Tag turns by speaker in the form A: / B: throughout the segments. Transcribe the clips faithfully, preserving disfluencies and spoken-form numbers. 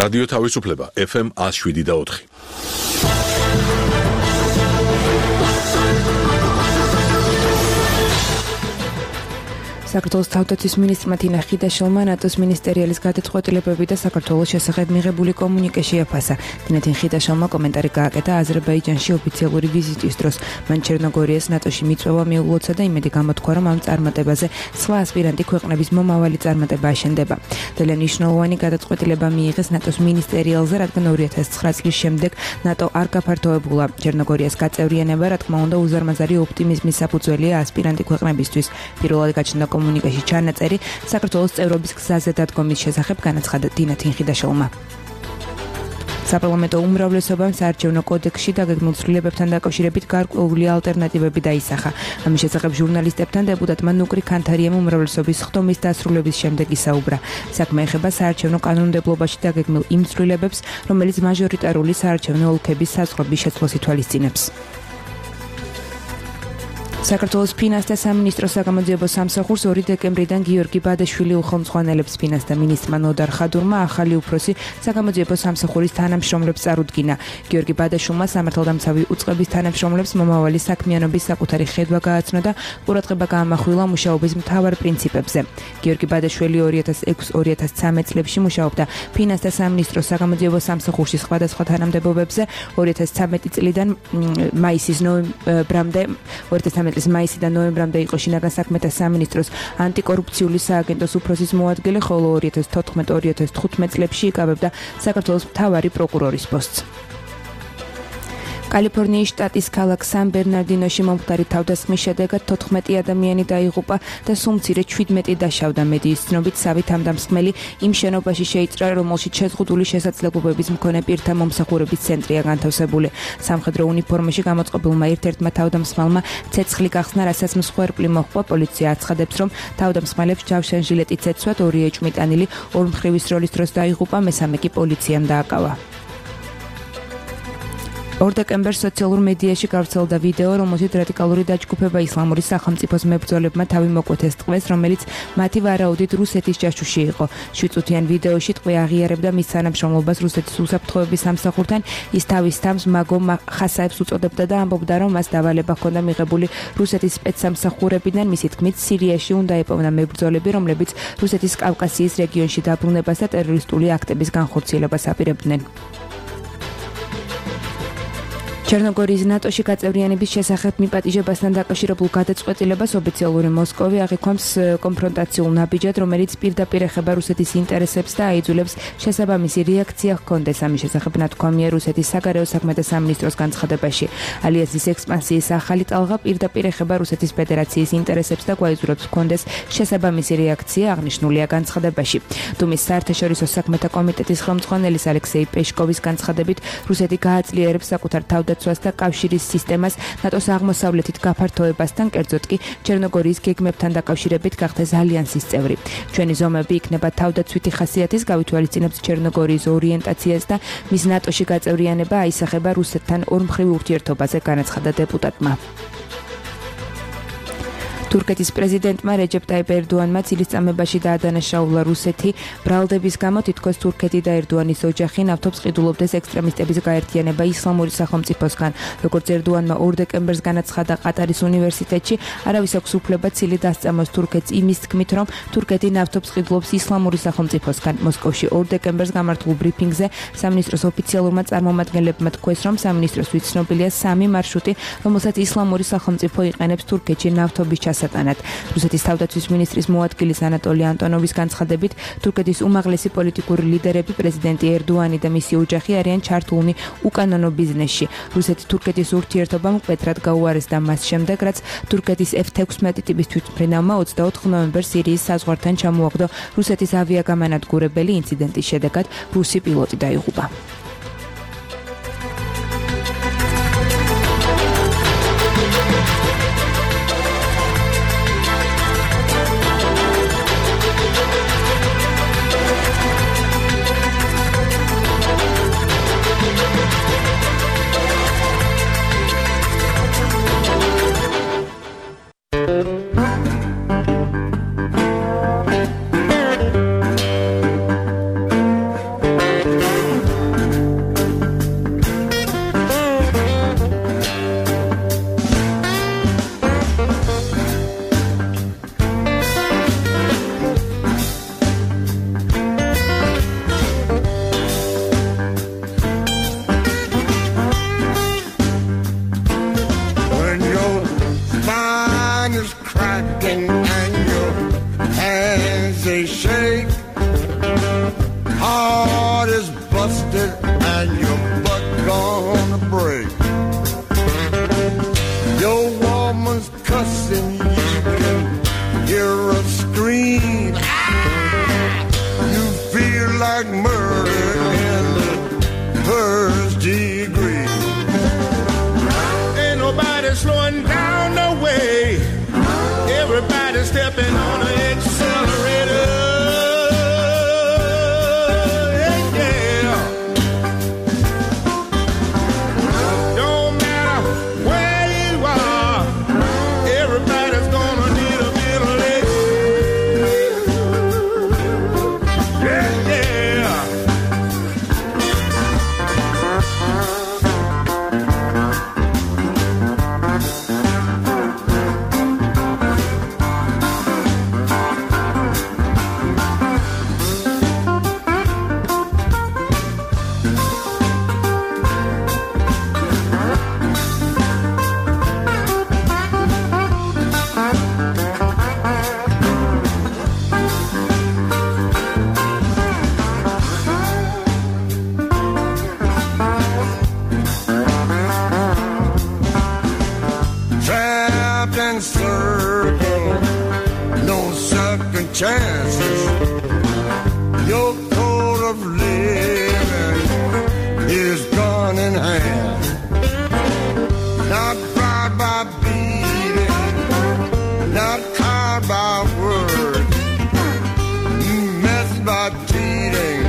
A: რადიო თავისუფლება ეფ ემ one oh seven და four.
B: საქართველოს თავდაცვის მინისტრმა თინა ხიდაშვილმა ნატოს მინისტერიალის გადაწყვეტილებები და საქართველოს შესახებ მიღებული კომუნიკე შეაფასა. თინა ხიდაშვილმა კომენტარი გააკეთა აზერბაიჯანში ოფიციალური ვიზიტის დროს. მან ჩერნოგორიას ნატოში მიწვევა მიუღლოცა და იმედი გამოთქვა, რომ ამ წარმატებაზე სხვა ასპირანტი ქვეყნების მომავალი წარმატება აშენდება. ძალიან მნიშვნელოვანი გადაწყვეტილება მიიღეს ნატოს მინისტერიალზე, რადგან two thousand nine წლის შემდეგ ნატო არ გაფართოებულა. ჩერნოგორიას გაწევრიანება, რა თქმა უნდა, უზარმაზარი ოპტიმიზმის საფუძველია ასპირანტი ქვეყნებისთვის. პირველად გაჩნდა კომუნიკაში ჩანაწერი საქართველოს წევრობის გზაზე დადგომის შესახებ განაცხადა თინა ხიდაშვილმა. საპარლამენტო უმრავლესობამ საარჩევნო კოდექსში დაგეგმილ ცვლილებებთან დაკავშირებით გარკვეული ალტერნატივები დაისახა. ამის შესახებ ჟურნალისტებთან დეპუტატმა ნუკრი ქანთარიამ უმრავლესობის ხდომის დასრულების შემდეგ ისაუბრა. საქმე ეხება საარჩევნო კანონმდებლობაში დაგეგმილ იმ ცვლილებებს, რომელიც მაჟორიტარული საარჩევნო ოლქების საზღვრების შეცვლას ითვალისწინებს. საქართველოს ფინანსთა სამინისტროს საგამოძიებო სამსახურს ორი დეკემბრიდან გიორგი ბადაშვილი უხელმძღვანელებს. ფინანსთა მინისტრმა ნოდარ ხადურმა ახალი უფროსი საგამოძიებო სამსახურის თანამშრომლებს წარუდგინა. გიორგი ბადაშვილმა სამართალდამცავი უწყების თანამშრომლებს მომავალი საქმიანობის საკუთარი ხედვა გააცნო და ყურადღება გაამახვილა მუშაობის მთავარ პრინციპებზე. გიორგი ბადაშვილი two thousand six two thousand thirteen წლებში მუშაობდა ფინანსთა სამინისტროს საგამოძიებო სამსახურში სხვადასხვა თანამდებობებზე. two thousand thirteen წლიდან მაისის ნოემბრამდე წლის მაისიდან ნოემბრამდე იყო შინაგან საქმეთა სამინისტროს ანტიკორუფციული სააგენტოს უფროსის მოადგილე, ხოლო two thousand fourteen two thousand fifteen წლებში იკავებდა საქართველოს მთავარი პროკურორის პოსტს. კალიფორნიის შტატის ქალაქ სან-ბერნარდინოში მომხდარი თავდასხმის შედეგად თოთხმეტი ადამიანი დაიღუპა და სულ მცირე seventeen დაშავდა. მედიის ცნობით სავით ამ დამსხმელი იმ შენობაში შეიჭრა, რომელშიც შეზღუდული შესაძლებლობების მქონე პირთა მომსახურების ცენტრია განთავსებული. სამხედრო უნიფორმაში გამოწყობილმა ერთ-ერთმა თავდამსხმელმა ცეცხლი გახსნა, რასაც მსხვერპლი მოჰყვა. პოლიცია აცხადებს, რომ თავდამსხმელებს ჯავშან ჟილეტით ეცვათ, ორი ეჭვმიტანილი ორმხრივის როლის დროს დაიღუპა, მესამე კი პოლიციამ დააკავა. ორ დეკემბერს სოციალურ მედიაში გავრცელდა ვიდეო, რომელშიც რადიკალური დაჯგუფება ისლამური სახელმწიფოს მებრძოლებმა თავი მოკვეთეს ტყვეს, რომელიც მათი ვარაუდით რუსეთის ჯაშუში იყო. შვიდ წუთიან ვიდეოში ტყვე აღიარებდა მის თანამშრომლობას რუსეთის უსაფრთხოების სამსახურთან. ის თავის თამს მაგო ხასაებს უწოდებდა და ამბობდა, რომ მას დავალება ჰქონდა მიღებული რუსეთის სპეცსამსახურებიდან. მისი თქმით, სირიაში უნდა ეპოვნა მებრძოლები, რომლებიც რუსეთის კავკასიის რეგიონში დაბრუნებას და ტერორისტული აქტების განხორციელებას აპირებდნენ. ჩერნოგორიის ნატოში გაწევრიანების შესახებ მიპატიჟებასთან დაკავშირებულ გადაწყვეტილებას ოფიციალური მოსკოვი აღიქვამს კონფრონტაციულ ნაბიჯად, რომელიც პირდაპირ ეხება რუსეთის ინტერესებს და აიძულებს შესაბამისი რეაქცია ჰქონდეს. ამის შესახებ ნათქვამია რუსეთის საგარეო საქმეთა სამინისტროს განცხადებაში. ალიანსის ექსპანსიის ახალი ტალღა პირდაპირ ეხება რუსეთის ფედერაციის ინტერესებს და გვაიძულებს ჰქონდეს შესაბამისი რეაქცია, აღნიშნულია განცხადებაში. დუმის საერთაშორისო საქმეთა კომიტეტის ხელმძღვანელის ალექსეი პეშკოვის განცხადებით, რუსეთი გააძლიერებს საკუთარ თავდაცვას და კავშირის სისტემას ნატოს აღმოსავლეთით გაფართოებასთან, კერძოდ კი ჩერნოგორიის გეგმებთან დაკავშირებით გახდეს ალიანსის წევრი. ჩვენი ზომები იქნება თავდაცვითი ხასიათის, გავითვალისწინებთ ჩერნოგორიის ორიენტაციას და მის ნატოში გაწევრიანება აისახება რუსეთთან ორმხრივ ურთიერთობაზე, განაცხადა დეპუტატმა. თურქეთის პრეზიდენტმა რეჯეპ ტაიპ ერდოანმა წილისწამებაში დაადანაშაულა რუსეთი. ბრალდების გამო თითქოს თურქეთი და ერდოანის ოჯახი ნავთობს ყიდულობდეს ექსტრემისტების გაერთიანება ისლამური სახელმწიფოსგან. როგორც ერდოანმა ორ დეკემბერს განაცხადა ყატარის უნივერსიტეტში, არავის აქვს უფლება ცილი დასწამოს თურქეთს იმის თქმით, რომ თურქეთი ნავთობს ყიდულობს ისლამური სახელმწიფოსგან. მოსკოვში ორ დეკემბერს გამართულ ბრიფინგზე სამინისტროს ოფიციალურმა წარმომადგენლებმა თქვეს, რომ სამინისტროსთვის ცნობილია სამი მარშრუტი, რომელსაც ისლამური სახელმწიფო იყენებს თურქეთში ნავთობის ჩასატანად. რუსეთის თავდაცვის მინისტრის მოადგილის ანატოლი ანტონოვის განცხადებით, თურქეთის უმაღლესი პოლიტიკური ლიდერები, პრეზიდენტი ერდოანი და მისი ოჯახი არიან ჩართულნი უკანონო ბიზნესში. რუსეთი თურქეთის ურთიერთობამ მკვეთრად გაუარესდა მას შემდეგ, რაც თურქეთის ეფ sixteen ტიპის თვითმფრინავმა ოცდაოთხ ნოემბერს სირიის საზღვართან ჩამოაგდო რუსეთის ავიაგამანადგურებელი. ინციდენტის შედეგად რუსი პილოტი დაიღუპა.
C: cracking and your hands they shake. Heart is busted and your butt gonna break. Your woman's cussing, you can hear her scream. Ah! You feel like murder in the first degree. Ain't nobody slowing down the way. Everybody stepping on the accelerator. Chances, your code of living is gone in hand. Not bribed by beating, not caught by words, messed by cheating,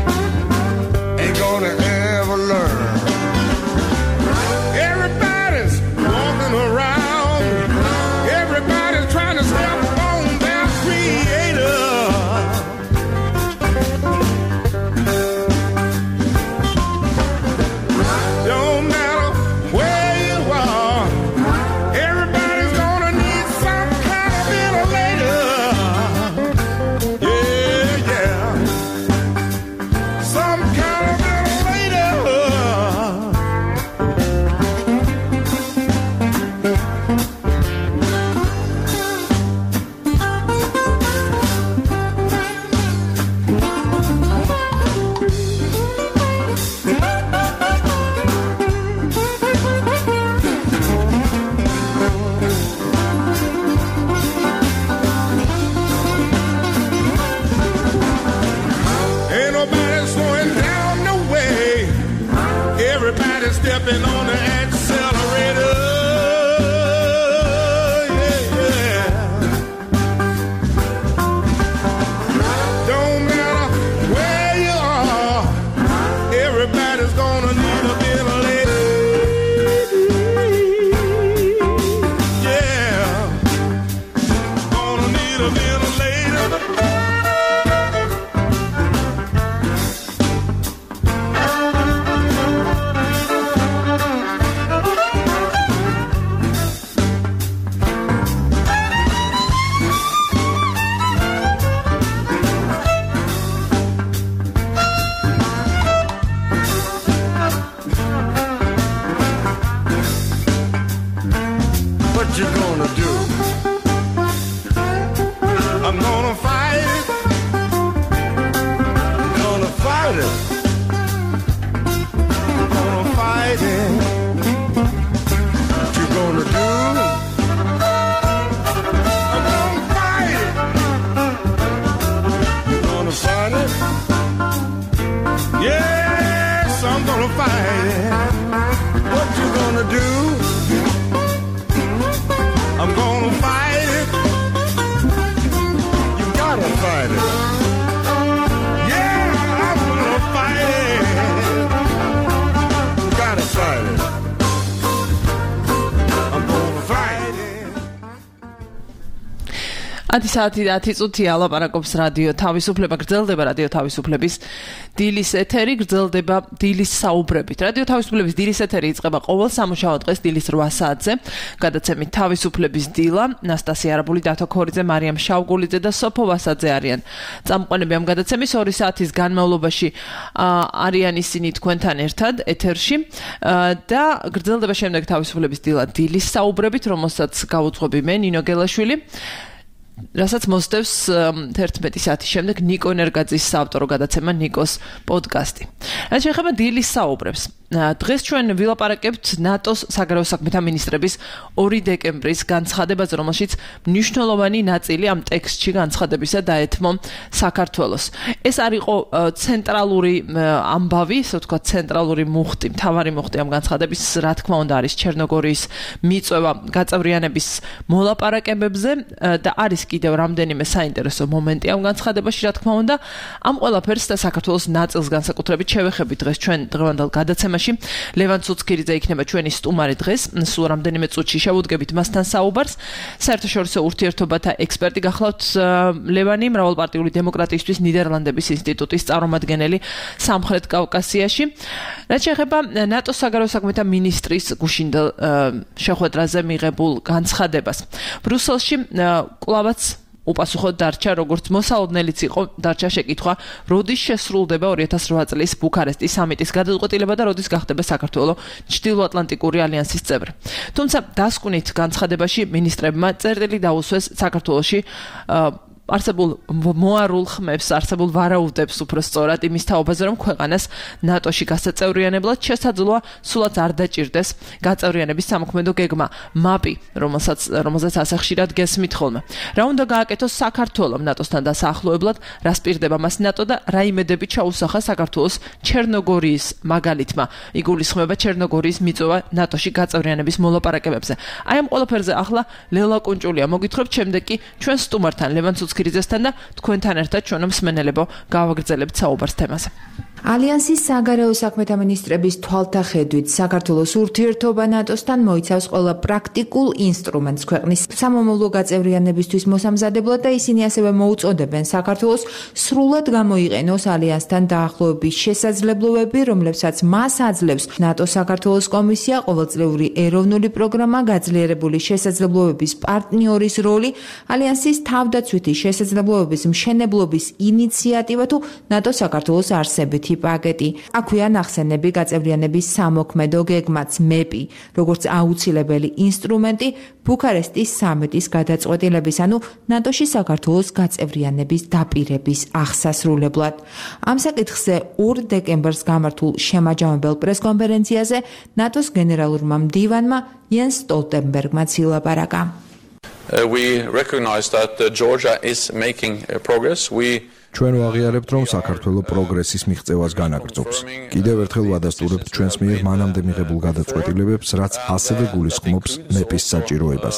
C: ain't gonna ever learn. Everybody's walking around, everybody's trying to step on their creator. Stepping on the accelerator, yeah, yeah. Don't matter where you are, everybody's gonna need a ventilator, yeah. Gonna need a ventilator. What you gonna do? I'm gonna fight it. Gonna fight it. Gonna fight it. What you gonna do? I'm gonna fight it. You gonna fight it? Yes, I'm gonna fight it. What you gonna do? I'm gonna fight it. You gotta fight it. Yeah, I'm gonna fight it. You gotta fight it. I'm gonna fight it.
D: ათი საათი და ათი წუთია ლაპარაკობს რადიო თავისუფლება, გრძელდება რადიო თავისუფლების დილის ეთერი, გრძელდება დილის საუბრებით. რადიო თავისუფლების დილის ეთერი იწყება ყოველ სამუშაო დღეს დილის რვა საათზე. გადაცემით თავისუფლების დილა, ნასტასია არაბული, დათო ქორიძე, მარიამ შავგულიძე და სოფო ვასაძე არიან წამყვანები ამ გადაცემის. ორი საათის განმავლობაში არიან ისინი თქვენთან ერთად ეთერში და გრძელდება შემდეგ თავისუფლების დილა დილის საუბრებით, რომელსაც გავუძღვები მე, ნინო გელაშვილი. რასაც მოსდევს თერთმეტი საათის შემდეგ ნიკო ენერგაძის საავტორო გადაცემა ნიკოს პოდკასტი. რაც შეეხება დილის საუბრებს. დღეს ჩვენ ვილაპარაკებთ ნატოს საგარეო საქმეთა მინისტრების ორი დეკემბრის განცხადებაზე, რომელშიც მნიშვნელოვანი ნაწილი ამ ტექსტში განცხადებისა დაეთმო საქართველოს. ეს არ იყო ცენტრალური ამბავი, ასე ვთქვათ, ცენტრალური მუხტი, მთავარი მუხტი ამ განცხადების, რა თქმა უნდა, არის ჩერნოგორიის მიწვევა გაწევრიანების მოლაპარაკებებზე და არის კიდევ რამდენიმე საინტერესო მომენტი ამ განცხადებაში, რა თქმა უნდა, ამ ყველაფერს და საქართველოს ნაწილს განსაკუთრებით შევეხებით დღეს ჩვენ დღევანდელ გადაცემაში. ლევან ცუცქირიძე იქნება ჩვენი სტუმარი დღეს, სულ რამდენიმე წუთში შევუდგებით მასთან საუბარს. საერთაშორისო ურთიერთობათა ექსპერტი გახლავთ ლევანი, მრავალპარტიული დემოკრატიისთვის ნიდერლანდების ინსტიტუტის წარმომადგენელი სამხრეთ კავკასიაში. რაც შეეხება ნატოს საგარეო საქმეთა მინისტრის გუშინდელ შეხვედრაზე მიღებულ განცხადებას. ბრუსელში კვლავაც უპასუხოდ დარჩა, როგორც მოსალოდნელიც იყო, დარჩა შეკითხვა, როდის შესრულდება ორი ათას რვა წლის ბუქარესტის სამიტის გადაწყვეტილება და როდის გახდება საქართველოს ჩრდილოატლანტიკური ალიანსის წევრი. თუმცა დასკვნით განცხადებაში მინისტრებმა წერტილი დაუსვეს საქართველოში არსებულ მოარულ ხმებს, არსებულ ვარაუდებს უფრო სწორად იმის თაობაზე, რომ ქვეყანას ნატოში გასაწევრიანებლად შესაძლოა სულაც არ დაჭირდეს გაწევრიანების სამოქმედო გეგმა მაპი, რომელსაც რომელსაც ასე ხშირად გესმით ხოლმე. რა უნდა გააკეთოს საქართველოს ნატოსთან დასაახლოებლად, რა სპირდება მას ნატო და რა იმედები ჩაუსახა საქართველოს ჩერნოგორიის მაგალითმა. იგულისხმება ჩერნოგორიის მიწვევა ნატოში გაწევრიანების მოლაპარაკებებზე. აი ამ ყველაფერზე ახლა ლელა კუნჭულია მოგითხრობთ, შემდეგ კი ჩვენ სტუმართან ლევან ცუცქირიძესთან და თქვენთან ერთად ჩვენ მსმენელებო გავაგრძელებთ საუბარს თემაზე.
B: ალიანსის საგარეო საქმეთა მინისტრების თვალთახედვით საქართველოს ურთიერთობა ნატოსთან მოიცავს ყველა პრაქტიკულ ინსტრუმენტს ქვეყნის სამომავლო გაწევრიანებისთვის მოსამზადებლად და ისინი ასევე მოუწოდებენ საქართველოს სრულად გამოიყენოს ალიანსთან დაახლოების შესაძლებლობები, რომლებსაც მას აძლევს ნატოს საქართველოს კომისია, ყოველწლიური ეროვნული პროგრამა, გაძლიერებული შესაძლებლობების პარტნიორის როლი, ალიანსის თავდაცვითი შესაძლებლობების მშენებლობის ინიციატივა თუ ნატო საქართველოს არსებითი პაკეტი. აქვეა ნახსენები გაწევრიანების სამოქმედო გეგმაც მეპი, როგორც აუცილებელი ინსტრუმენტი ბუქარესტის სამიტის გადაწყვეტილების, ანუ ნატოში საქართველოს გაწევრიანების დაპირების აღსასრულებლად. ამ საკითხზე ორ დეკემბერს გამართულ შემაჯამებელ პრესკონფერენციაზე ნატოს გენერალურმა მდივანმა იენს სტოლტენბერგმა ილაპარაკა.
E: Uh, we recognize that uh, Georgia is making uh, progress. We
F: ჩვენ ვაღიარებთ, რომ საქართველოს პროგრესის მიღწევას განაგრძობს. კიდევ ერთხელ ვადასტურებთ ჩვენს მიერ მანამდე მიღებულ გადაწყვეტილებებს, რაც ასევე გულისხმობს მეპის საჭიროებას.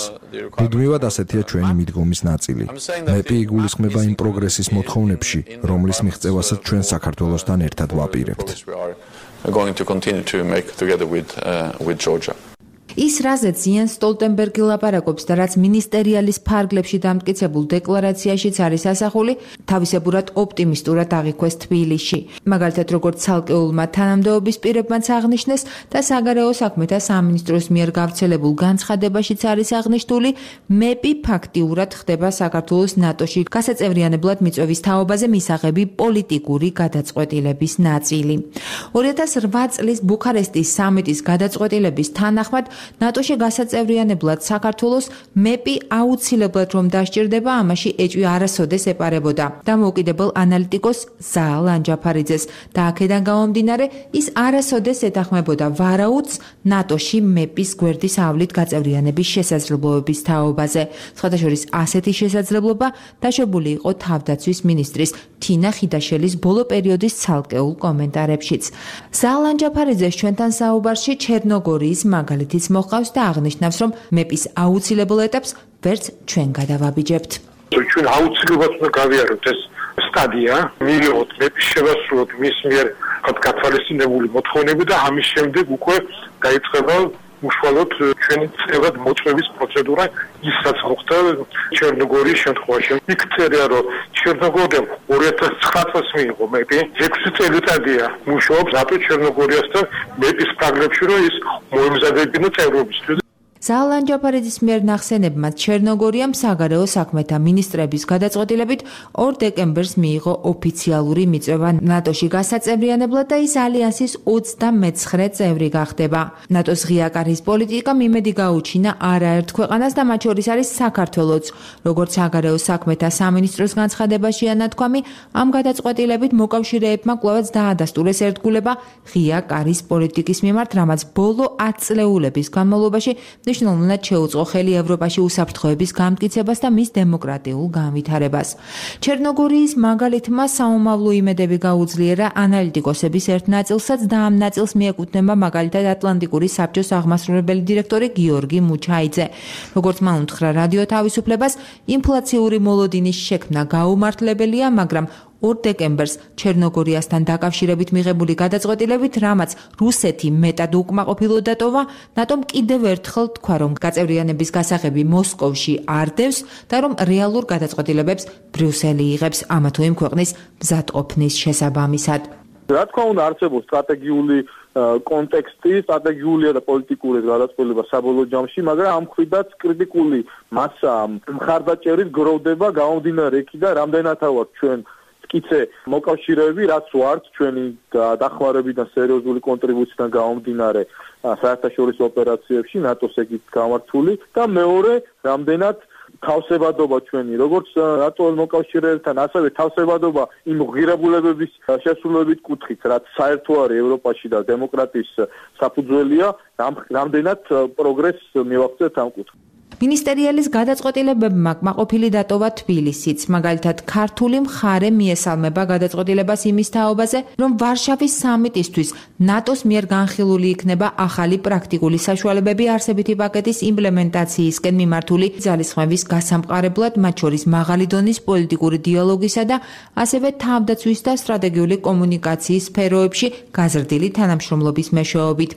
F: მუდმივად ასეთია ჩვენი მიდგომის ნაწილი. მეპი იგულისხმება იმ პროგრესის მოთხოვნებში, რომლის მიღწევასაც ჩვენ საქართველოსთან ერთად ვაპირებთ.
E: going to continue to make together with uh, with Georgia.
B: ის რაზეც იენს სტოლტენბერგი ლაპარაკობს და რაც მინისტერიალის ფარგლებში დამტკიცებულ დეკლარაციაშიც არის ასახული, თავისებურად ოპტიმისტურად აღიქვეს თბილისში. მაგალითად, როგორც ცალკეულმა თანამდებობის პირებმაც აღნიშნეს და საგარეო საქმეთა სამინისტროს მიერ გავრცელებულ განცხადებაშიც არის აღნიშნული, მეპი ფაქტიურად ხდება საქართველოს ნატოში გასაწევრიანებლად მიწვევის თაობაზე მისაღები პოლიტიკური გადაწყვეტილების ნაწილი. ორი ათას რვა წლის ბუქარესტის სამიტის გადაწყვეტილების თანახმად ნატოში გასაწევრიანებლად საქართველოს მეპი აუცილებლად რომ დასჭირდება, ამაში ეჭვი არასოდეს ეპარებოდა. დამოუკიდებელ ანალიტიკოს ზაალ ანჯაფარიძეს და აქედან გამომდინარე, ის არასოდეს ეთანხმებოდა ვარაუდს ნატოში მეპის გვერდის ავლით გაწევრიანების შესაძლებლობების თაობაზე. სხვადასხვა ასეთი შესაძლებლობა დაშვებული იყო თავდაცვის მინისტრის თინა ხიდაშელის ბოლო პერიოდის ცალკეულ კომენტარებშიც. ზაალ ანჯაფარიძეს ჩვენთან საუბარში ჩერნოგორიის მაგალითიც მოყავს და აღნიშნავს, რომ მეპის აუცილებელ ეტაპს ვერც ჩვენ გადავაბიჯებთ.
G: ჩვენ აუცილებლად უნდა გავიაროთ ეს სტადია, მივიღოთ მეპის შევასრულოთ მის მიერ გათვალისწინებული მოთხოვნები და ამის შემდეგ უკვე დაიწყება უშუალოდ ჩვენი წევრად მოწვევის პროცედურა, ის რაც მოხდა ჩერნოგორიის შემთხვევაში. იქ წერია, რომ ჩერნოგორიამ ორი ათას ცხრა წელს მიიღო მეპი, ექვსი წელიწადია მუშაობს ნატო ჩერნოგორიასთან მეპის ფარგლებში, რომ ის მოემზადებინა წევრობისთვის.
B: ზალან ჯაფარიძის მიერ ნახსენებმა ჩერნოგორიამ საგარეო საქმეთა მინისტრების გადაწყვეტილებით ორ დეკემბერს მიიღო ოფიციალური მიწვევა ნატოში გასაწევრიანებლად და ის ალიანსის ოცდამეცხრე წევრი გახდება. ნატოს ღია კარის პოლიტიკამ იმედი გაუჩინა არაერთ ქვეყანას და მათ შორის არის საქართველოც. როგორც საგარეო საქმეთა სამინისტროს განცხადებაშია ნათქვამი, ამ გადაწყვეტილებით მოკავშირეებმა კვლავაც დაადასტურეს ერთგულება ღია კარის პოლიტიკის მიმართ, რამაც ბოლო ათ წლეულების განმავლობაში მნიშვნელოვნად შეუწყო ხელი ევროპაში უსაფრთხოების გამტკიცებას და მის დემოკრატიულ განვითარებას. ჩერნოგორიის მაგალითმა საომავლო იმედები გაუძლიერა ანალიტიკოსების ერთ ნაწილსაც და ამ ნაწილს მიეკუთვნება მაგალითად ატლანტიკური საბჭოს აღმასრულებელი დირექტორი გიორგი მუჩაიძე. როგორც მან უთხრა რადიო თავისუფლებას, ინფლაციური მოლოდინის შექმნა გაუმართლებელია, მაგრამ ორ დეკემბერს ჩერნოგორიასთან დაკავშირებით მიღებული გადაწყვეტილებით, რამაც რუსეთი მეტად უკმაყოფილო დატოვა, ნატომ კიდევ ერთხელ თქვა, რომ გაწევრიანების გასაღები მოსკოვში არ დევს და რომ რეალურ გადაწყვეტილებებს ბრიუსელი იღებს ამა თუ იმ ქვეყნის მზადყოფნის შესაბამისად.
H: რა თქმა უნდა, არსებობს სტრატეგიული კონტექსტი, სტრატეგიულია და პოლიტიკური გადაწყვეტილება საბოლოო ჯამში, მაგრამ ამ მხრიდაც კრიტიკული მასა მხარდაჭერით გროვდება გამომდინარე იქიდან, რამდენათა ვართ ჩვენ მტკიცე მოკავშირეები, რაც ვართ ჩვენი დახმარებიდან სერიოზული კონტრიბუციიდან გამომდინარე საერთაშორისო ოპერაციებში ნატოს ეგით გამართული და მეორე რამდენად თავსებადობა ჩვენი როგორც ნატოს მოკავშირეებთან, ასევე თავსებადობა იმ ღირებულებების შესრულებით კუთხით, რაც საერთო არის ევროპაში და დემოკრატიის საფუძველია, რამდენად პროგრესს მივაღწევთ ამ კუთხით.
B: მინისტერიალის გადაწყვეტილებებმა კმაყოფილი დატოვა თბილისიც. მაგალითად, ქართული მხარე მიესალმება გადაწყვეტილებას იმის თაობაზე, რომ ვარშავის სამიტისთვის ნატოს მიერ განხილული იქნება ახალი პრაქტიკული საშუალებები არსებითი პაკეტის იმპლემენტაციისკენ მიმართული ძალისხმევის გასამყარებლად, მათ შორის მაღალი დონის პოლიტიკური დიალოგისა და ასევე თავდაცვის და სტრატეგიული კომუნიკაციის სფეროებში გაზრდილი თანამშრომლობის მეშვეობით.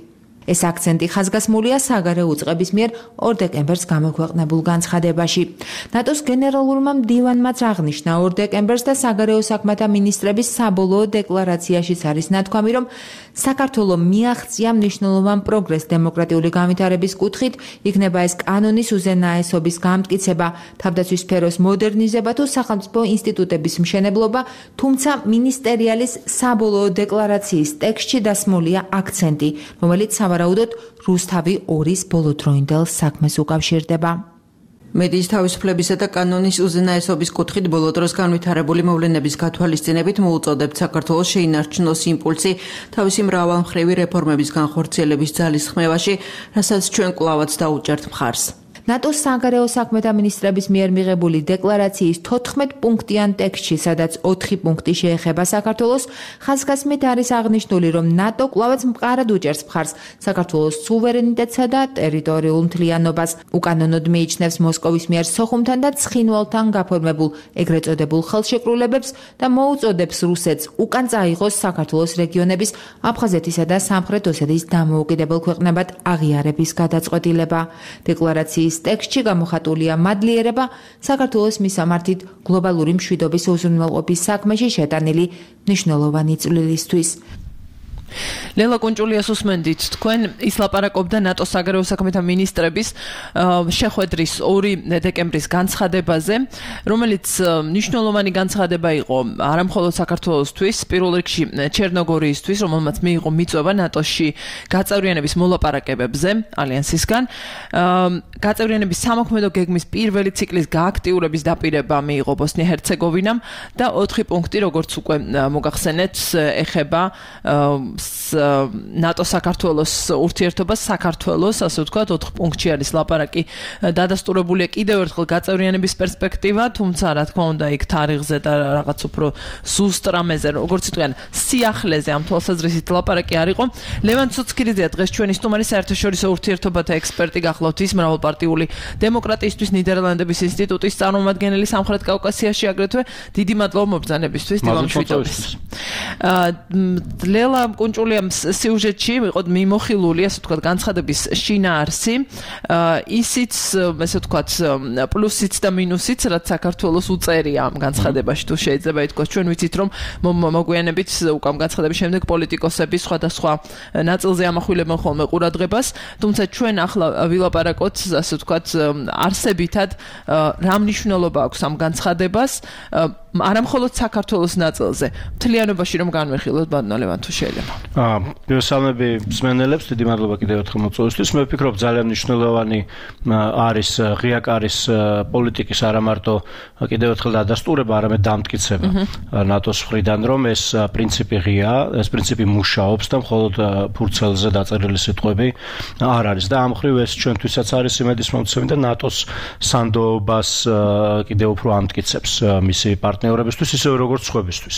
B: ეს აქცენტი ხაზგასმულია საგარეო უწყების მიერ ორ დეკემბერს გამოქვეყნებულ განცხადებაში. ნატოს გენერალურმა მდივანმაც აღნიშნა ორ დეკემბერს და საგარეო საქმეთა მინისტრების საბოლოო დეკლარაციაშიც არის ნათქვამი, რომ საქართველო მიაღწია მნიშვნელოვან პროგრესს დემოკრატიული განვითარების კუთხით, იქნება ეს კანონის უზენაესობის გამტკიცება, თავდაცვის სფეროს მოდერნიზება თუ სახელმწიფო ინსტიტუტების მშენებლობა, თუმცა მინისტერიალის საბოლოო დეკლარაციის ტექსტში დასმულია აქცენტი, რომელიც სავარაუდოდ რუსთავი ორის ბოლოდროინდელ საქმეს უკავშირდება.
I: მედიის თავისუფლებისა და კანონის უზენაესობის კუთხით ბოლო დროს განვითარებული მოვლენების გათვალისწინებით მოუწოდებთ საქართველოს შეინარჩუნოს იმპულსი თავისი მრავალმხრივი რეფორმების განხორციელების ძალისხმევაში, რასაც ჩვენ კვლავაც დაუჭერთ მხარს.
B: ნატოს საგარეო საქმეთა მინისტრების მიერ მიღებული დეკლარაციის თოთხმეტ პუნქტიან ტექსტში, სადაც ოთხი პუნქტი შეეხება საქართველოს, ხაზგასმით არის აღნიშნული, რომ ნატო კვლავაც მყარად უჭერს მხარს საქართველოს სუვერენიტეტსა და ტერიტორიულ მთლიანობას. უკანონოდ მიიჩნევს მოსკოვის მიერ სოხუმთან და ცხინვალთან გაფორმებულ ეგრეთ წოდებულ ხელშეკრულებებს და მოუწოდებს რუსეთს უკან წაიღოს საქართველოს რეგიონების აფხაზეთისა და სამხრეთ ოსეთის დამოუკიდებელ ქვეყნებად აღიარების გადაწყვეტილება. დეკლარაციის ტექსტში გამოხატულია მადლიერება საქართველოს მისამართით გლობალური მშვიდობის უზრუნველყოფის საქმეში შეტანილი მნიშვნელოვანი წვლილისთვის.
D: ლელა კუნჭულიას უსმენდით, თქვენ ისლაპარაკობდა ნატოს საგარეო საქმეთა მინისტრების შეხვედრის ორი დეკემბრის განცხადებაზე, რომელიც მნიშვნელოვანი განცხადება იყო არამხოლოდ საქართველოსთვის, პირველ რიგში ჩერნოგორიისთვის, რომელმაც მიიღო მიწვევა ნატოში გაწევრიანების მოლაპარაკებებზე ალიანსისგან. გაწევრიანების სამოქმედო გეგმის პირველი ციკლის გააქტიურების დაპირება მიიღო ბოსნია-ჰერცეგოვინამ და ოთხი პუნქტი, როგორც უკვე მოგახსენეთ, ეხება ნატო საქართველოს ურთიერთობას საქართველოს, ასე ვთქვათ, ოთხ პუნქტში არის ლაპარაკი დადასტურებულია კიდევ ერთხელ გაწევრიანების პერსპექტივა, თუმცა რა თქმა უნდა იქ თარიღზე და რაღაც უფრო ზუსტ რამეზე, როგორც იტყვიან, სიახლეზე ამ თვალსაზრისით ლაპარაკი არ იყო. ლევან ცუცქირიძეა დღეს ჩვენი სტუმარი, საერთაშორისო ურთიერთობათა ექსპერტი გახლავთ, ის მრავალპარტიული დემოკრატიისთვის ნიდერლანდების ინსტიტუტის წარმომადგენელი სამხრეთ კავკასიაში, აგრეთვე დიდი მადლობა მობრძანებისთვის, დიმამშვიდობის. ლელა კუნჭულია სიუჟეტში იყო მიმოხილული, ასე ვთქვათ, განცხადების შინაარსი, ისიც, ასე ვთქვათ, პლუსიც და მინუსიც, რაც საქართველოს უწერია ამ განცხადებაში, თუ შეიძლება ითქვას, ჩვენ ვიცით, რომ მოგვიანებით უკვე ამ განცხადების შემდეგ პოლიტიკოსები სხვადასხვა ნაწილზე ამახვილებენ ხოლმე ყურადღებას, თუმცა ჩვენ ახლა ვილაპარაკოთ, ასე ვთქვათ, არსებითად რა მნიშვნელობა აქვს ამ განცხადებას, არა მხოლოდ საქართველოს ნაწილზე, მთლიანობაში რომ განვიხილოთ, ბატონო ლევან, თუ შეიძლება.
J: აა, მოგესალმები მსმენელებს, დიდი მადლობა კიდევ ერთხელ მოწვევისთვის. მე ვფიქრობ, ძალიან მნიშვნელოვანი არის ღია კარის პოლიტიკის არა მარტო კიდევ ერთხელ დადასტურება, არამედ დამტკიცება ნატოს მხრიდან, რომ ეს პრინციპი ღია, ეს პრინციპი მუშაობს და მხოლოდ ფურცელზე დაწერილი სიტყვები არ არის და ამ მხრივ ეს ჩვენთვისაც არის იმედის მომცემი და ნატოს სანდოობას კიდევ უფრო ამტკიცებს მისი პარტნიორებისთვის, ისე როგორც სხვებისთვის.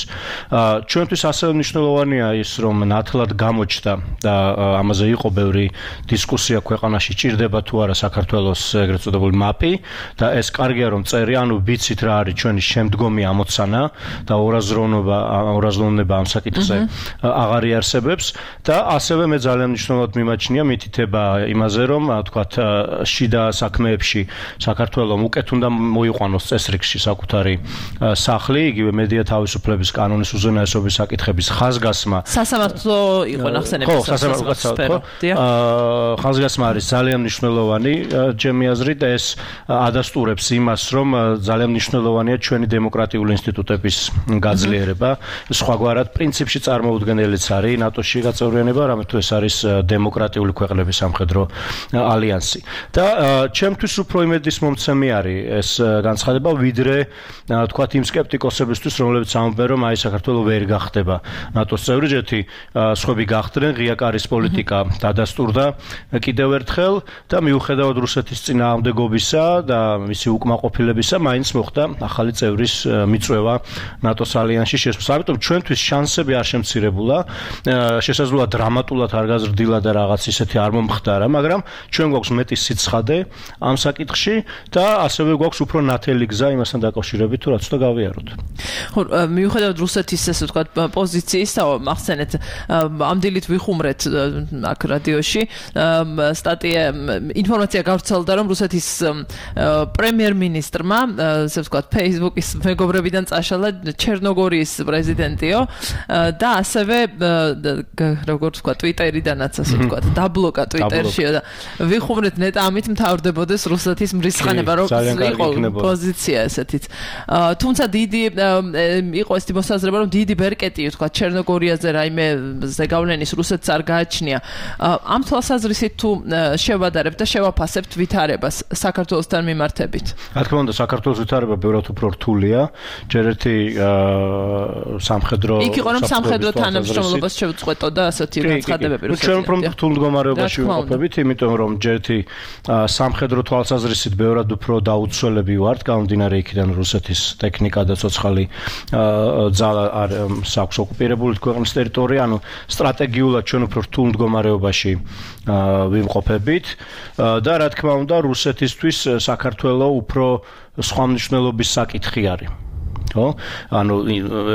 J: ჩვენთვის ასევე მნიშვნელოვანია ის, რომ ნათლად გამოჩნდა და ამაზე იყო ბევრი დისკუსია ქვეყანაში, ჭირდება თუ არა საქართველოს ეგრეთ წოდებული მაპი და ეს კარგია რომ წერი, ანუ ვიცით რა არის ჩვენი შემდგომი ამოცანა და ორაზროვნება, ორაზროვნება ამ საკითხზე აღარ იარსებებს და ასევე მე ძალიან მნიშვნელოვნად მიმაჩნია მითითება იმაზე, რომ თქვათ შიდა საქმეებში საქართველოს უკეთ უნდა მოიყვანოს წესრიგში საკუთარი სახლი, იგივე მედია თავისუფლების კანონის უზენაესობის საკითხების ხაზგასმა.
D: სასამართლო იყო ნახსენები.
J: ხო, სასამართლო. ხაზგასმა არის ძალიან მნიშვნელოვანი, ჩემი აზრით, და ეს ადასტურებს იმას, რომ ძალიან მნიშვნელოვანია ჩვენი დემოკრატიული ინსტიტუტების გაძლიერება. სხვაგვარად, პრინციპში წარმოუდგენელიც არის ნატოში გაწევრიანება, რამე თუ ეს არის დემოკრატიული ქვეყნების სამხედრო ალიანსი. და ჩემთვის უფრო იმედის მომცემი არის ეს განცხადება, ვიდრე თქვათ იმ სკეპტიკოსებისთვის, რომლებიც ამბობენ, რომ აი საქართველოს ვერ გახდება ნატოს წევრი, ჯეთი სხვები გახდნენ, ღია კარის პოლიტიკა დადასტურდა კიდევ ერთხელ და მიუხედავად რუსეთის წინააღმდეგობისა და მისი უკმაყოფილებისა, მაინც მოხდა ახალი წევრის მიწვევა ნატოს ალიანსში შესვლას. ამიტომ ჩვენთვის შანსები არ შემცირებულა, შესაძლოა დრამატულად არ გაზრდილა და რაღაც ისეთი არ მომხდარა, მაგრამ ჩვენ გვაქვს მეტი სიცხადე ამ საკითხში და ასევე გვაქვს უფრო ნათელი გზა იმასთან დაკავშირებით, თუ რაც უნდა გავიაროთ.
D: ხო, მიუხედავად რუსეთის, ასე ვთქვათ, პოზიციის, მახსენეთ, ამ დილით ვიხუმრეთ აქ რადიოში, სტატია, ინფორმაცია გავრცელდა, რომ რუსეთის პრემიერ-მინისტრმა, ასე ვთქვათ, Facebook-ის მეგობრებიდან წაშალა ჩერნოგორიის პრეზიდენტიო და ასევე როგორც ვთქვათ, Twitter-იდანაც, ასე ვთქვათ, დაბლოკა Twitter-შიო და ვიხუმრეთ ნეტა ამით მთავრდებოდეს რუსეთის მრისხანება, რომ იყო პოზიცია ესეთიც. თუმცა დიდი იყო ეს მოსაზრება, რომ დიდი ბერკეტი, ვთქვათ, ჩერნოგორიაზე რაიმე ზეგავლენის რუსეთს არ გააჩნია. ამ თვალსაზრისით თუ შევადარებთ და შევაფასებთ ვითარებას საქართველოსთან მიმართებით.
J: რა თქმა უნდა, საქართველოს ვითარება ბევრად უფრო რთულია. ჯერ ერთი სამხედრო
D: იქ იყო რომ სამხედრო თანამშრომლობას შევწყვეტოდა ასეთი განცხადებები
J: რუსეთიდან. ჩვენ უფრო რთულ მდგომარეობაში ვიმყოფებით, იმიტომ რომ ჯერ ერთი სამხედრო თვალსაზრისით ბევრად უფრო დაუცველები ვართ, გამომდინარე იქიდან რუსეთის ტექნიკა და ცოცხალი ძალა არ აქვს ოკუპირებული ქვეყნის ტერიტორია, ანუ სტრატეგიულად ჩვენ უფრო რთულ მდგომარეობაში ვიმყოფებით და რა თქმა უნდა რუსეთისთვის საქართველოს უფრო სხვა მნიშვნელობის საკითხი არის. ხო? ანუ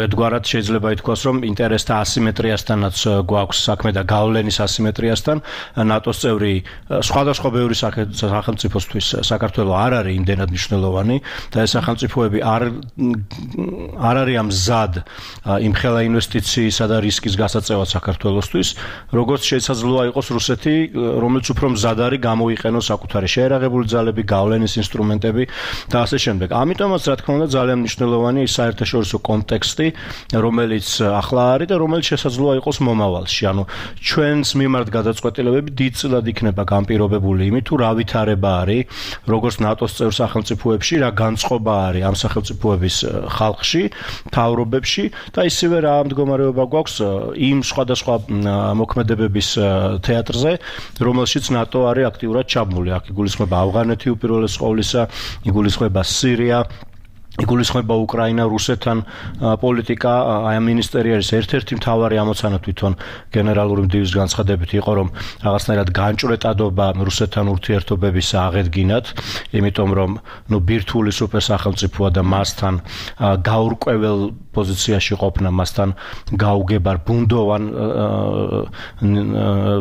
J: ერთგვარად შეიძლება ითქვას, რომ ინტერესთა ასიმეტრიასთანაც გვაქვს საქმე და გავლენის ასიმეტრიასთან. ნატოს წევრი სხვადასხვა ბევრი სახელმწიფოსთვის საქართველოს არ არის იმდენად მნიშვნელოვანი და ეს სახელმწიფოები არ არ არის მზად იმ ხელა ინვესტიციისა და რისკის გასაწევად საქართველოსთვის, როგორც შესაძლოა იყოს რუსეთი, რომელიც უფრო მზად არის გამოიყენოს საკუთარი შეერაღებული ძალები, გავლენის ინსტრუმენტები და ასე შემდეგ. ამიტომაც რა თქმა უნდა ძალიან მნიშვნელოვანი საერთაშორისო კონტექსტი, რომელიც ახლა არის და რომელიც შესაძლოა იყოს მომავალში. ანუ ჩვენს მიმართ გადაწყვეტილებები დიდწილად იქნება განპირობებული იმით, თუ რა ვითარება არის, როგორც ნატოს წევრ სახელმწიფოებში, რა განწყობა არის ამ სახელმწიფოების ხალხში, მთავრობებში და ისევე რა მდგომარეობა გვაქვს იმ სხვადასხვა მოქმედებების თეატრზე, რომელშიც ნატო არის აქტიურად ჩაბმული. აქ იგულისხმება ავღანეთი უპირველეს ყოვლისა, იგულისხმება სირია იგულისხმება უკრაინა რუსეთთან პოლიტიკა აი ამ მინისტერიის ერთ-ერთი მთავარი ამოცანა თვითონ გენერალური მდივის განცხადებით იყო რომ რაღაცნაირად განჭვრეტადობა რუსეთთან ურთიერთობების აღედგინათ იმიტომ რომ ნუ ბირთვული სუპერსახელმწიფოა და მასთან გაურკვეველ პოზიციაში ყოფნა მასთან გაუგებარ ბუნდოვან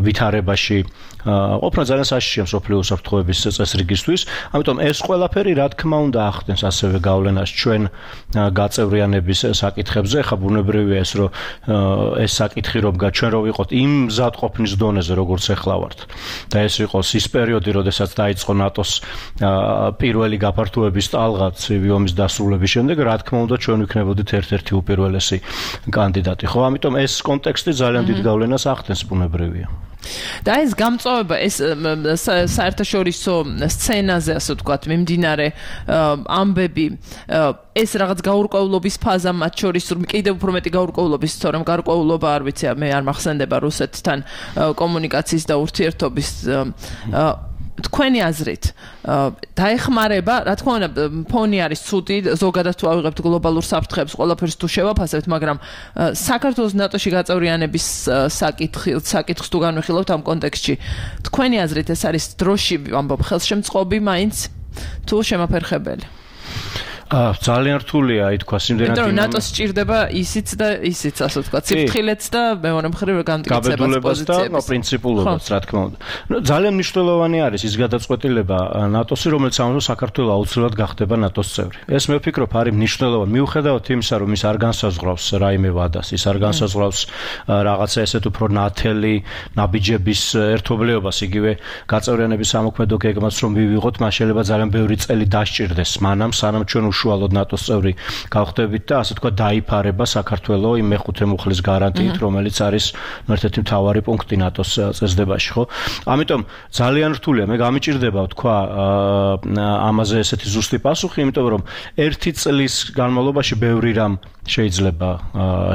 J: ვითარებაში ყოფნა ძალიან საშიშია მსოფლიო უსაფრთხოების წესრიგისთვის ამიტომ ეს ყველაფერი რა თქმა უნდა ახდენს ასევე გავლენას ჩვენ გაწევრიანების საკითხებზე ხა ბუნებრივია ეს რომ ეს საკითხი რომ ჩვენ რო ვიყოთ იმ მზადყოფნის დონეზე როგორც ახლა ვართ და ეს იყოს ის პერიოდი როდესაც დაიწყო ნატოს პირველი გაფართოების ტალღა ცივი ომის დასრულების შემდეგ რა თქმა უნდა ჩვენ ვიქნებოდით ერთ-ერთი უპირველესი კანდიდატი ხო ამიტომ ეს კონტექსტი ძალიან დიდ გავლენას ახდენს ბუნებრივია
D: და ეს გამწვავება ეს საერთაშორისო სცენაზე ასე ვთქვათ მიმდინარე ამბები ეს რაღაც გაურკვევლობის ფაზა მათ შორის კიდევ უფრო მეტი გაურკვევლობის თორემ გარკვეულობა არ ვიცი მე არ მახსენდება რუსეთთან კომუნიკაციის და ურთიერთობის თქვენი აზრით დაეხმარება რა თქმა უნდა ფონი არის ცუდი ზოგადად თუ ავიღებთ გლობალურ საფრთხეებს ყველაფერს თუ შევაფასებთ მაგრამ საქართველოს ნატოში გაწევრიანების საკითხი საკითხს თუ განვიხილავთ ამ კონტექსტში თქვენი აზრით ეს არის დროში ამბობ ხელშემწყობი მაინც თუ შემაფერხებელი
J: ძალიან რთულია ითქვა იმდენად
D: იმიტომ რომ ნატოს სჭირდება ისიც და ისიც ასე ვთქვათ სიფრთხილეც და მეორე მხრივ გამტკიცებას
J: და პრინციპულობაც რა თქმა უნდა ძალიან მნიშვნელოვანი არის ის გადაწყვეტილება ნატოსი რომელიც ამბობს საქართველოს აუცილებლად გახდება ნატოს წევრი ეს მე ვფიქრობ არის მნიშვნელოვანი მიუხედავად იმისა რომ ის არ განსაზღვრავს რაიმე ვადას ის არ განსაზღვრავს რაღაცა ესეთ უფრო ნათელი ნაბიჯების ერთობლიობას იგივე გაწევრიანების სამოქმედო გეგმას რომ მივიღოთ მას შეიძლება ძალიან ბევრი წელი დასჭირდეს მანამ სანამ ჩვენ უშუალოდ ნატოს წევრი გავხდებით და ასე თქვა დაიფარება საქართველოს იმ მეხუთე მუხლის გარანტიით რომელიც არის ერთ-ერთი მთავარი პუნქტი ნატოს წესდებაში ხო ამიტომ ძალიან რთულია მე გამიჭირდება თქვა ამაზე ესეთი ზუსტი პასუხი იმიტომ რომ ერთი წლის განმავლობაში ბევრი რამ შეიძლება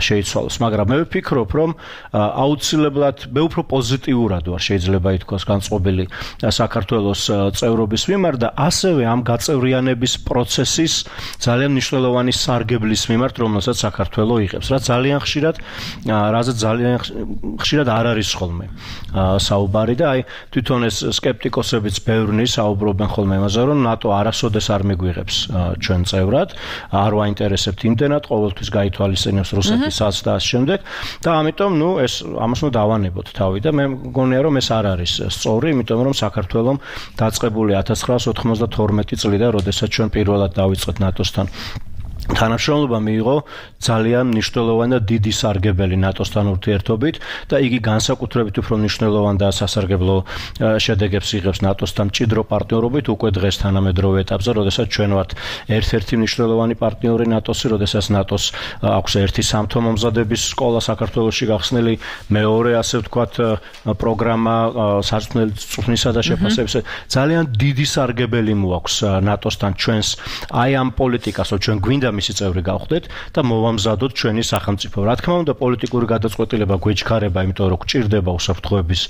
J: შეიცვალოს მაგრამ მე ვფიქრობ რომ აუცილებლად მე უფრო პოზიტიურად ვარ შეიძლება ითქვას განწყობილი საქართველოს წევრობის მიმართ და ასევე ამ გაწევრიანების პროცესის ძალიან მნიშვნელოვანი სარგებლის მიმართ რომელსაც საქართველოს იღებს რაც ძალიან ხშირად რაზეც ძალიან ხშირად არ არის ხოლმე საუბარი და აი თვითონ ეს სკეპტიკოსებიც ბევრნი საუბრობენ ხოლმე იმაზე რომ ნატო არასოდეს არ მიგვიღებს ჩვენ წევრად არ ვაინტერესებთ იმდენად ყოველთვის გაითვალისწინებს რუსეთისაც და ამ შემდეგ და ამიტომ ნუ ეს ამას ნუ დავანებოთ თავი და მე მგონია რომ ეს არ არის სწორი იმიტომ რომ საქართველოს დაწყებული ათას ცხრაასი ოთხმოცდათორმეტი წლიდან როდესაც ჩვენ პირველად დავიწყეთ ნატოსთან თანამშრომლობა მიიღო ძალიან მნიშვნელოვანი და დიდი სარგებელი ნატოსთან ურთიერთობით და იგი განსაკუთრებით უფრო მნიშვნელოვანი და სასარგებლო შედეგებს იღებს ნატოსთან მჭიდრო პარტნიორობით უკვე დღეს თანამედროვე ეტაპზე, როდესაც ჩვენ ვართ ერთ-ერთი მნიშვნელოვანი პარტნიორი ნატოსი, როდესაც ნატოს აქვს ერთი სამთო მომზადების სკოლა საქართველოში გახსნილი, მეორე ასე ვთქვათ პროგრამა სარწმუნოების წვრთნისა და შეფასების ძალიან დიდი სარგებელი მოაქვს ნატოსთან ჩვენს აი ამ პოლიტიკას, რომ ჩვენ გვინდა მისი წევრი გავხდეთ და მოვამზადოთ ჩვენი სახელმწიფო. რა თქმა უნდა, პოლიტიკური გადაწყვეტილება გვეჩქარება, იმიტომ რომ გვჭირდება უსაფრთხოების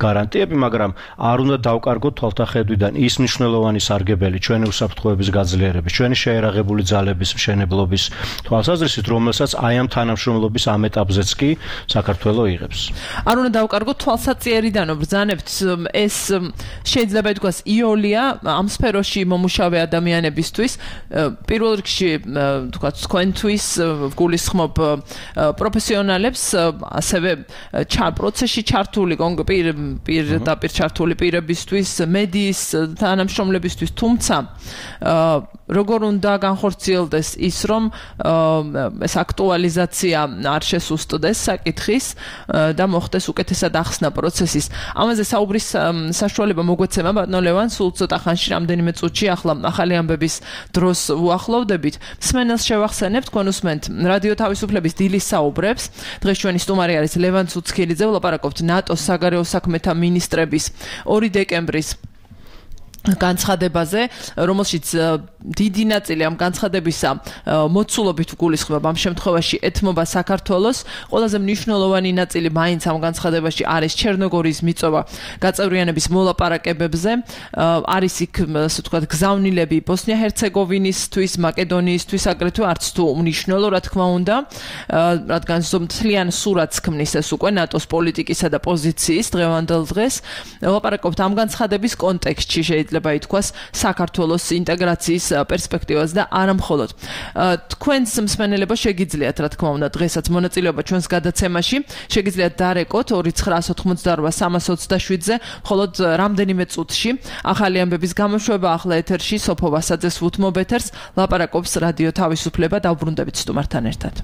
J: გარანტიები, მაგრამ არ უნდა დავკარგოთ თვალთახედვიდან ის მნიშვნელოვანი სარგებელი ჩვენი უსაფრთხოების გაძლიერების, ჩვენი შეერაღებული ძალების მშენებლობის თვალსაზრისით, რომელსაც აი ამ თანამშრომლობის ამ ეტაპზეც კი საქართველოს იღებს.
D: არ უნდა დავკარგოთ თვალსაწიერიდან, ბრძანებთ ეს შეიძლება ითქვას იოლია ამ სფეროში მომუშავე ადამიანებისთვის პირველ რიგში თქვათ თქვენთვის გულისხმობ პროფესიონალებს ასევე პროცესში ჩართული პირდაპირ ჩართული პირებისთვის მედიის თანამშრომლებისთვის თუმცა როგორ უნდა განხორციელდეს ის რომ ეს აქტუალიზაცია არ შესუსტდეს საკითხის და მოხდეს უკეთესად ახსნა პროცესის ამაზე საუბრის საშუალება მოგვეცემა ბატონო ლევან სულ ცოტა ხანში რამდენიმე წუთში ახლა ახალი ამბების დროს ვუახლოვდებით მსმენელს შევახსენებთ თქვენ უსმენთ რადიო თავისუფლების დილის საუბრებს დღეს ჩვენი სტუმარი არის ლევან ცუცქილიძე ვლაპარაკობთ ნატოს საგარეო საქმეთა მინისტრების ორი დეკემბრის განცხადებაზე, რომელშიც დიდი ნაწილი ამ განცხადებისა მოცულობით გულისხმობს ამ შემთხვევაში ეთმობა საქართველოს. ყველაზე მნიშვნელოვანი ნაწილი მაინც ამ განცხადებაში არის ჩერნოგორიის მიწოვა გაწევრიანების მოლაპარაკებებზე. არის იქ, ასე ვთქვათ, გზავნილები ბოსნია-ჰერცეგოვინისთვის, მაკედონიისთვის, აგრეთვე არც თუ უნიშნელო, რა თქმა უნდა, რადგან მთლიან სურათს ქმნის ეს უკვე ნატოს პოლიტიკისა და პოზიციის დღევანდელ დღეს. ვლაპარაკობთ ამ განცხადების კონტექსტში, შეიძლება ითქვას, საქართველოს ინტეგრაციის პერსპექტივას და არა მხოლოდ. თქვენს მსმენელებო შეგიძლიათ, რა თქმა უნდა, დღესაც მონაწილეობა ჩვენს გადაცემაში, შეგიძლიათ დარეკოთ ორი ცხრა ოცდაოთხ სამას ოცდაშვიდზე, მხოლოდ რამდენიმე წუთში. ახალი ამბების გამოშვება ახლა ეთერში, სოფო ვასაძეს უთმობ ეთერს, ლაპარაკობს რადიო თავისუფლება, დავბრუნდებით სტუმართან ერთად.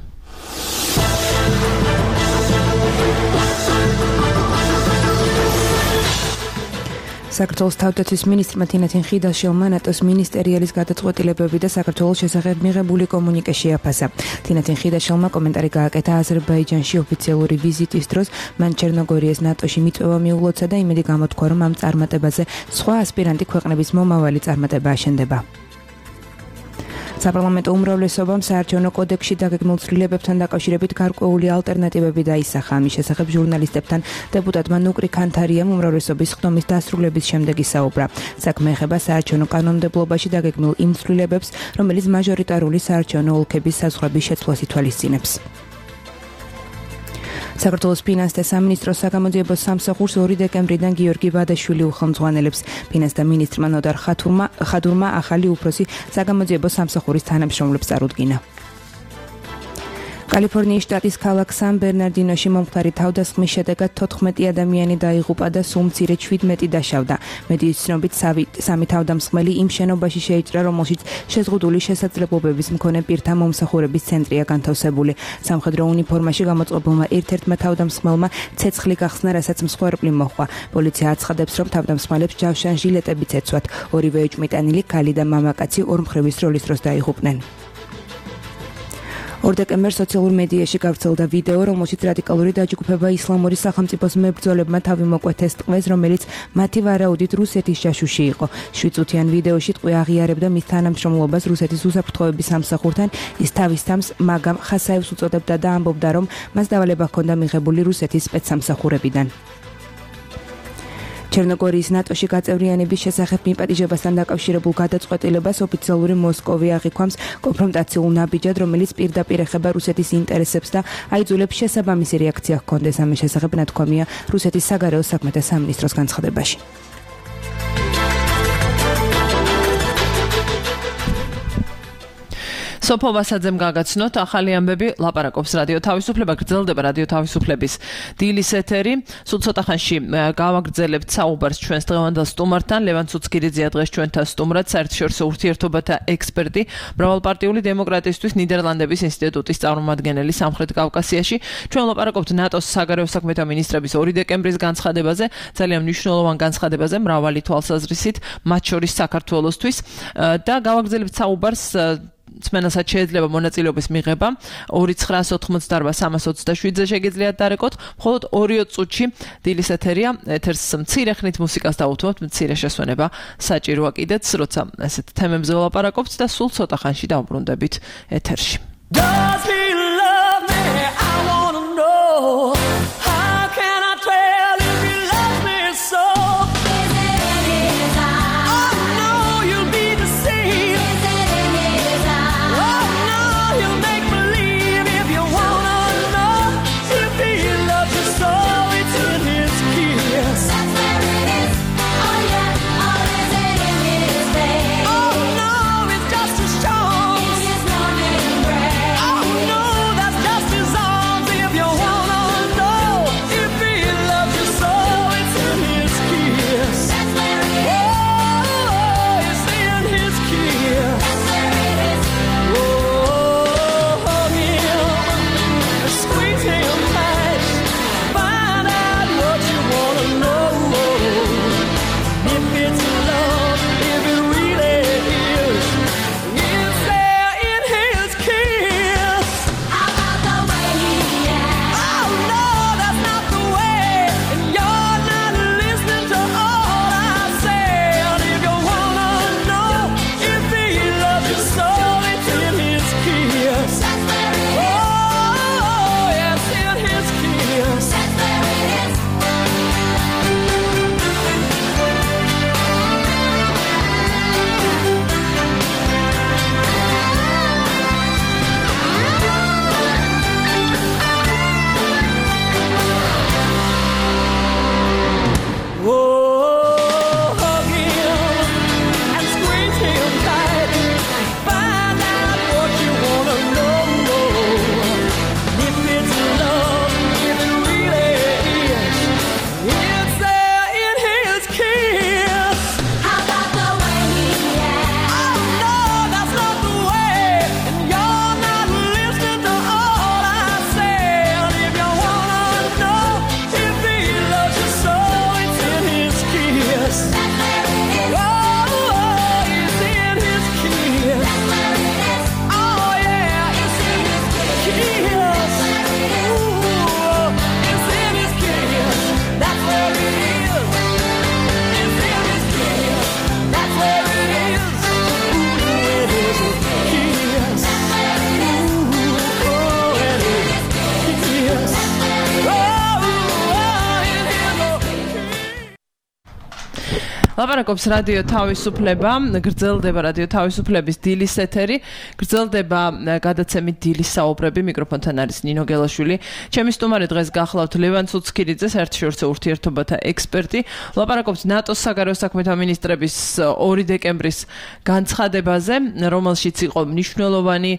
B: საქართველოს თავდაცვის მინისტრმა თინათინ ხიდაშელმა ნატოს მინისტერიალის გადაწყვეტილებები და საქართველოს შესახებ მიღებული კომუნიკე შეაფასა. თინათინ ხიდაშელმა კომენტარი გააკეთა აზერბაიჯანში ოფიციალური ვიზიტის დროს, მან ჩერნოგორიას ნატოში მიწვევა მიულოცა და იმედი გამოთქვა, რომ ამ წარმატებაზე სხვა ასპირანტი ქვეყნების მომავალი წარმატება აშენდება. საპარლამენტო უმრავლესობამ საარჩევნო კოდექსში დაგეგმილ ცვლილებებთან დაკავშირებით გარკვეული ალტერნატივები დაისახა. ამის შესახებ ჟურნალისტებთან დეპუტატმა ნუკრი ქანთარიამ უმრავლესობის ხდომის დასრულების შემდეგ ისაუბრა. საქმე ეხება საარჩევნო კანონმდებლობაში დაგეგმილ იმ ცვლილებებს, რომელიც მაჟორიტარული საარჩევნო ოლქების საზღვრების შეცვლას ითვალისწინებს. საქართველოს ფინანსთა სამინისტროს საგამოძიებო სამსახურს ორი დეკემბრიდან გიორგი ბადაშვილი უხელმძღვანელებს. ფინანსთა მინისტრმა ნოდარ ხადურმა ახალი უფროსი საგამოძიებო სამსახურის თანამშრომლებს წარუდგინა. კალიფორნიის შტატის ქალაქ სან ბერნარდინოში მომხდარი თავდასხმის შედეგად თოთხმეტი ადამიანი დაიღუპა და სულ მცირე შვიდმეტი დაშავდა. მედიის ცნობით სამი თავდამსხმელი იმ შენობაში შეიჭრა, რომელშიც შეზღუდული შესაძლებლობების მქონე პირთა მომსახურების ცენტრია განთავსებული. სამხედრო უნიფორმაში გამოწყობილმა ერთ-ერთმა თავდამსხმელმა ცეცხლი გახსნა, რასაც მსხვერპლი მოჰყვა. პოლიცია აცხადებს, რომ თავდამსხმელებს ჯავშან ჟილეტებიც ეცვათ. ორივე ეჭვმიტანილი ქალი და მამაკაცი ორმხრივის როლის დროს დაიღუპნენ. ორ დეკემბერს სოციალურ მედიაში გავრცელდა ვიდეო, რომელშიც რადიკალური დაჯგუფება ისლამური სახელმწიფოს მებრძოლებმა თავი მოკვეთეს ტყვეს, რომელიც მათი ვარაუდით რუსეთის ჯაშუში იყო. შვიდ წუთიან ვიდეოში ტყვე აღიარებდა მის თანამშრომლობას რუსეთის უსაფრთხოების სამსახურთან. ის თავის თავს მაგამ ხასაევს უწოდებდა და ამბობდა, რომ მას დავალება ჰქონდა მიღებული რუსეთის სპეცსამსახურებიდან. ჩერნოგორიის ნატოში გაწევრიანების შესახებ მიპატიჟებასთან დაკავშირებულ გადაწყვეტილებას ოფიციალური მოსკოვი აღიქვამს კონფრონტაციულ ნაბიჯად, რომელიც პირდაპირ ეხება რუსეთის ინტერესებს და აიძულებს შესაბამისი რეაქცია ჰქონდეს. ამის შესახებ ნათქვამია რუსეთის საგარეო საქმეთა სამინისტროს განცხადებაში. სოფო ვასაძემ გაგაცნოთ ახალი ამბები, ლაპარაკობს რადიო თავისუფლება, გრძელდება რადიო თავისუფლების დილის ეთერი. სულ ცოტა ხანში გავაგრძელებთ საუბარს ჩვენს დღევანდელ სტუმართან. ლევან ცუცქირიძეა დღეს ჩვენთან სტუმრად, საერთაშორისო ურთიერთობათა ექსპერტი, მრავალპარტიული დემოკრატიისთვის ნიდერლანდების ინსტიტუტის წარმომადგენელი სამხრეთ კავკასიაში. ჩვენ ლაპარაკობთ ნატოს საგარეო საქმეთა მინისტრების ორი დეკემბრის განცხადებაზე, ძალიან მნიშვნელოვან განცხადებაზე მრავალი თვალსაზრისით, მათ შორის საქართველოსთვის და გავაგრძელებთ საუბარს წმენასაც შეიძლება მონაწილეობის მიღება ორი ცხრა ოცდაოთხ სამას ოცდაშვიდზე შეგიძლიათ დარეკოთ, მხოლოდ ორი წუთში დილის ეთერია, ეთერს მცირე ხნით მუსიკას დავუთმობთ, მცირე შესვენება საჭიროა კიდეც, როცა ესეთ თემებზე ვლაპარაკობთ და სულ ცოტა ხანში დავბრუნდებით ეთერში. Does he love me? I wanna know. How can I tell if he loves me so? Oh
D: ლაპარაკობს რადიო თავისუფლება, გრძელდება რადიო თავისუფლების დილის ეთერი, გრძელდება გადაცემით დილის საუბრები, მიკროფონთან არის ნინო გელაშვილი. ჩემი სტუმარი დღეს გახლავთ ლევან ცუცქირიძე, საერთაშორისო ურთიერთობათა ექსპერტი. ლაპარაკობს ნატოს საგარეო საქმეთა მინისტრების ორი დეკემბრის განცხადებაზე, რომელშიც იყო მნიშვნელოვანი,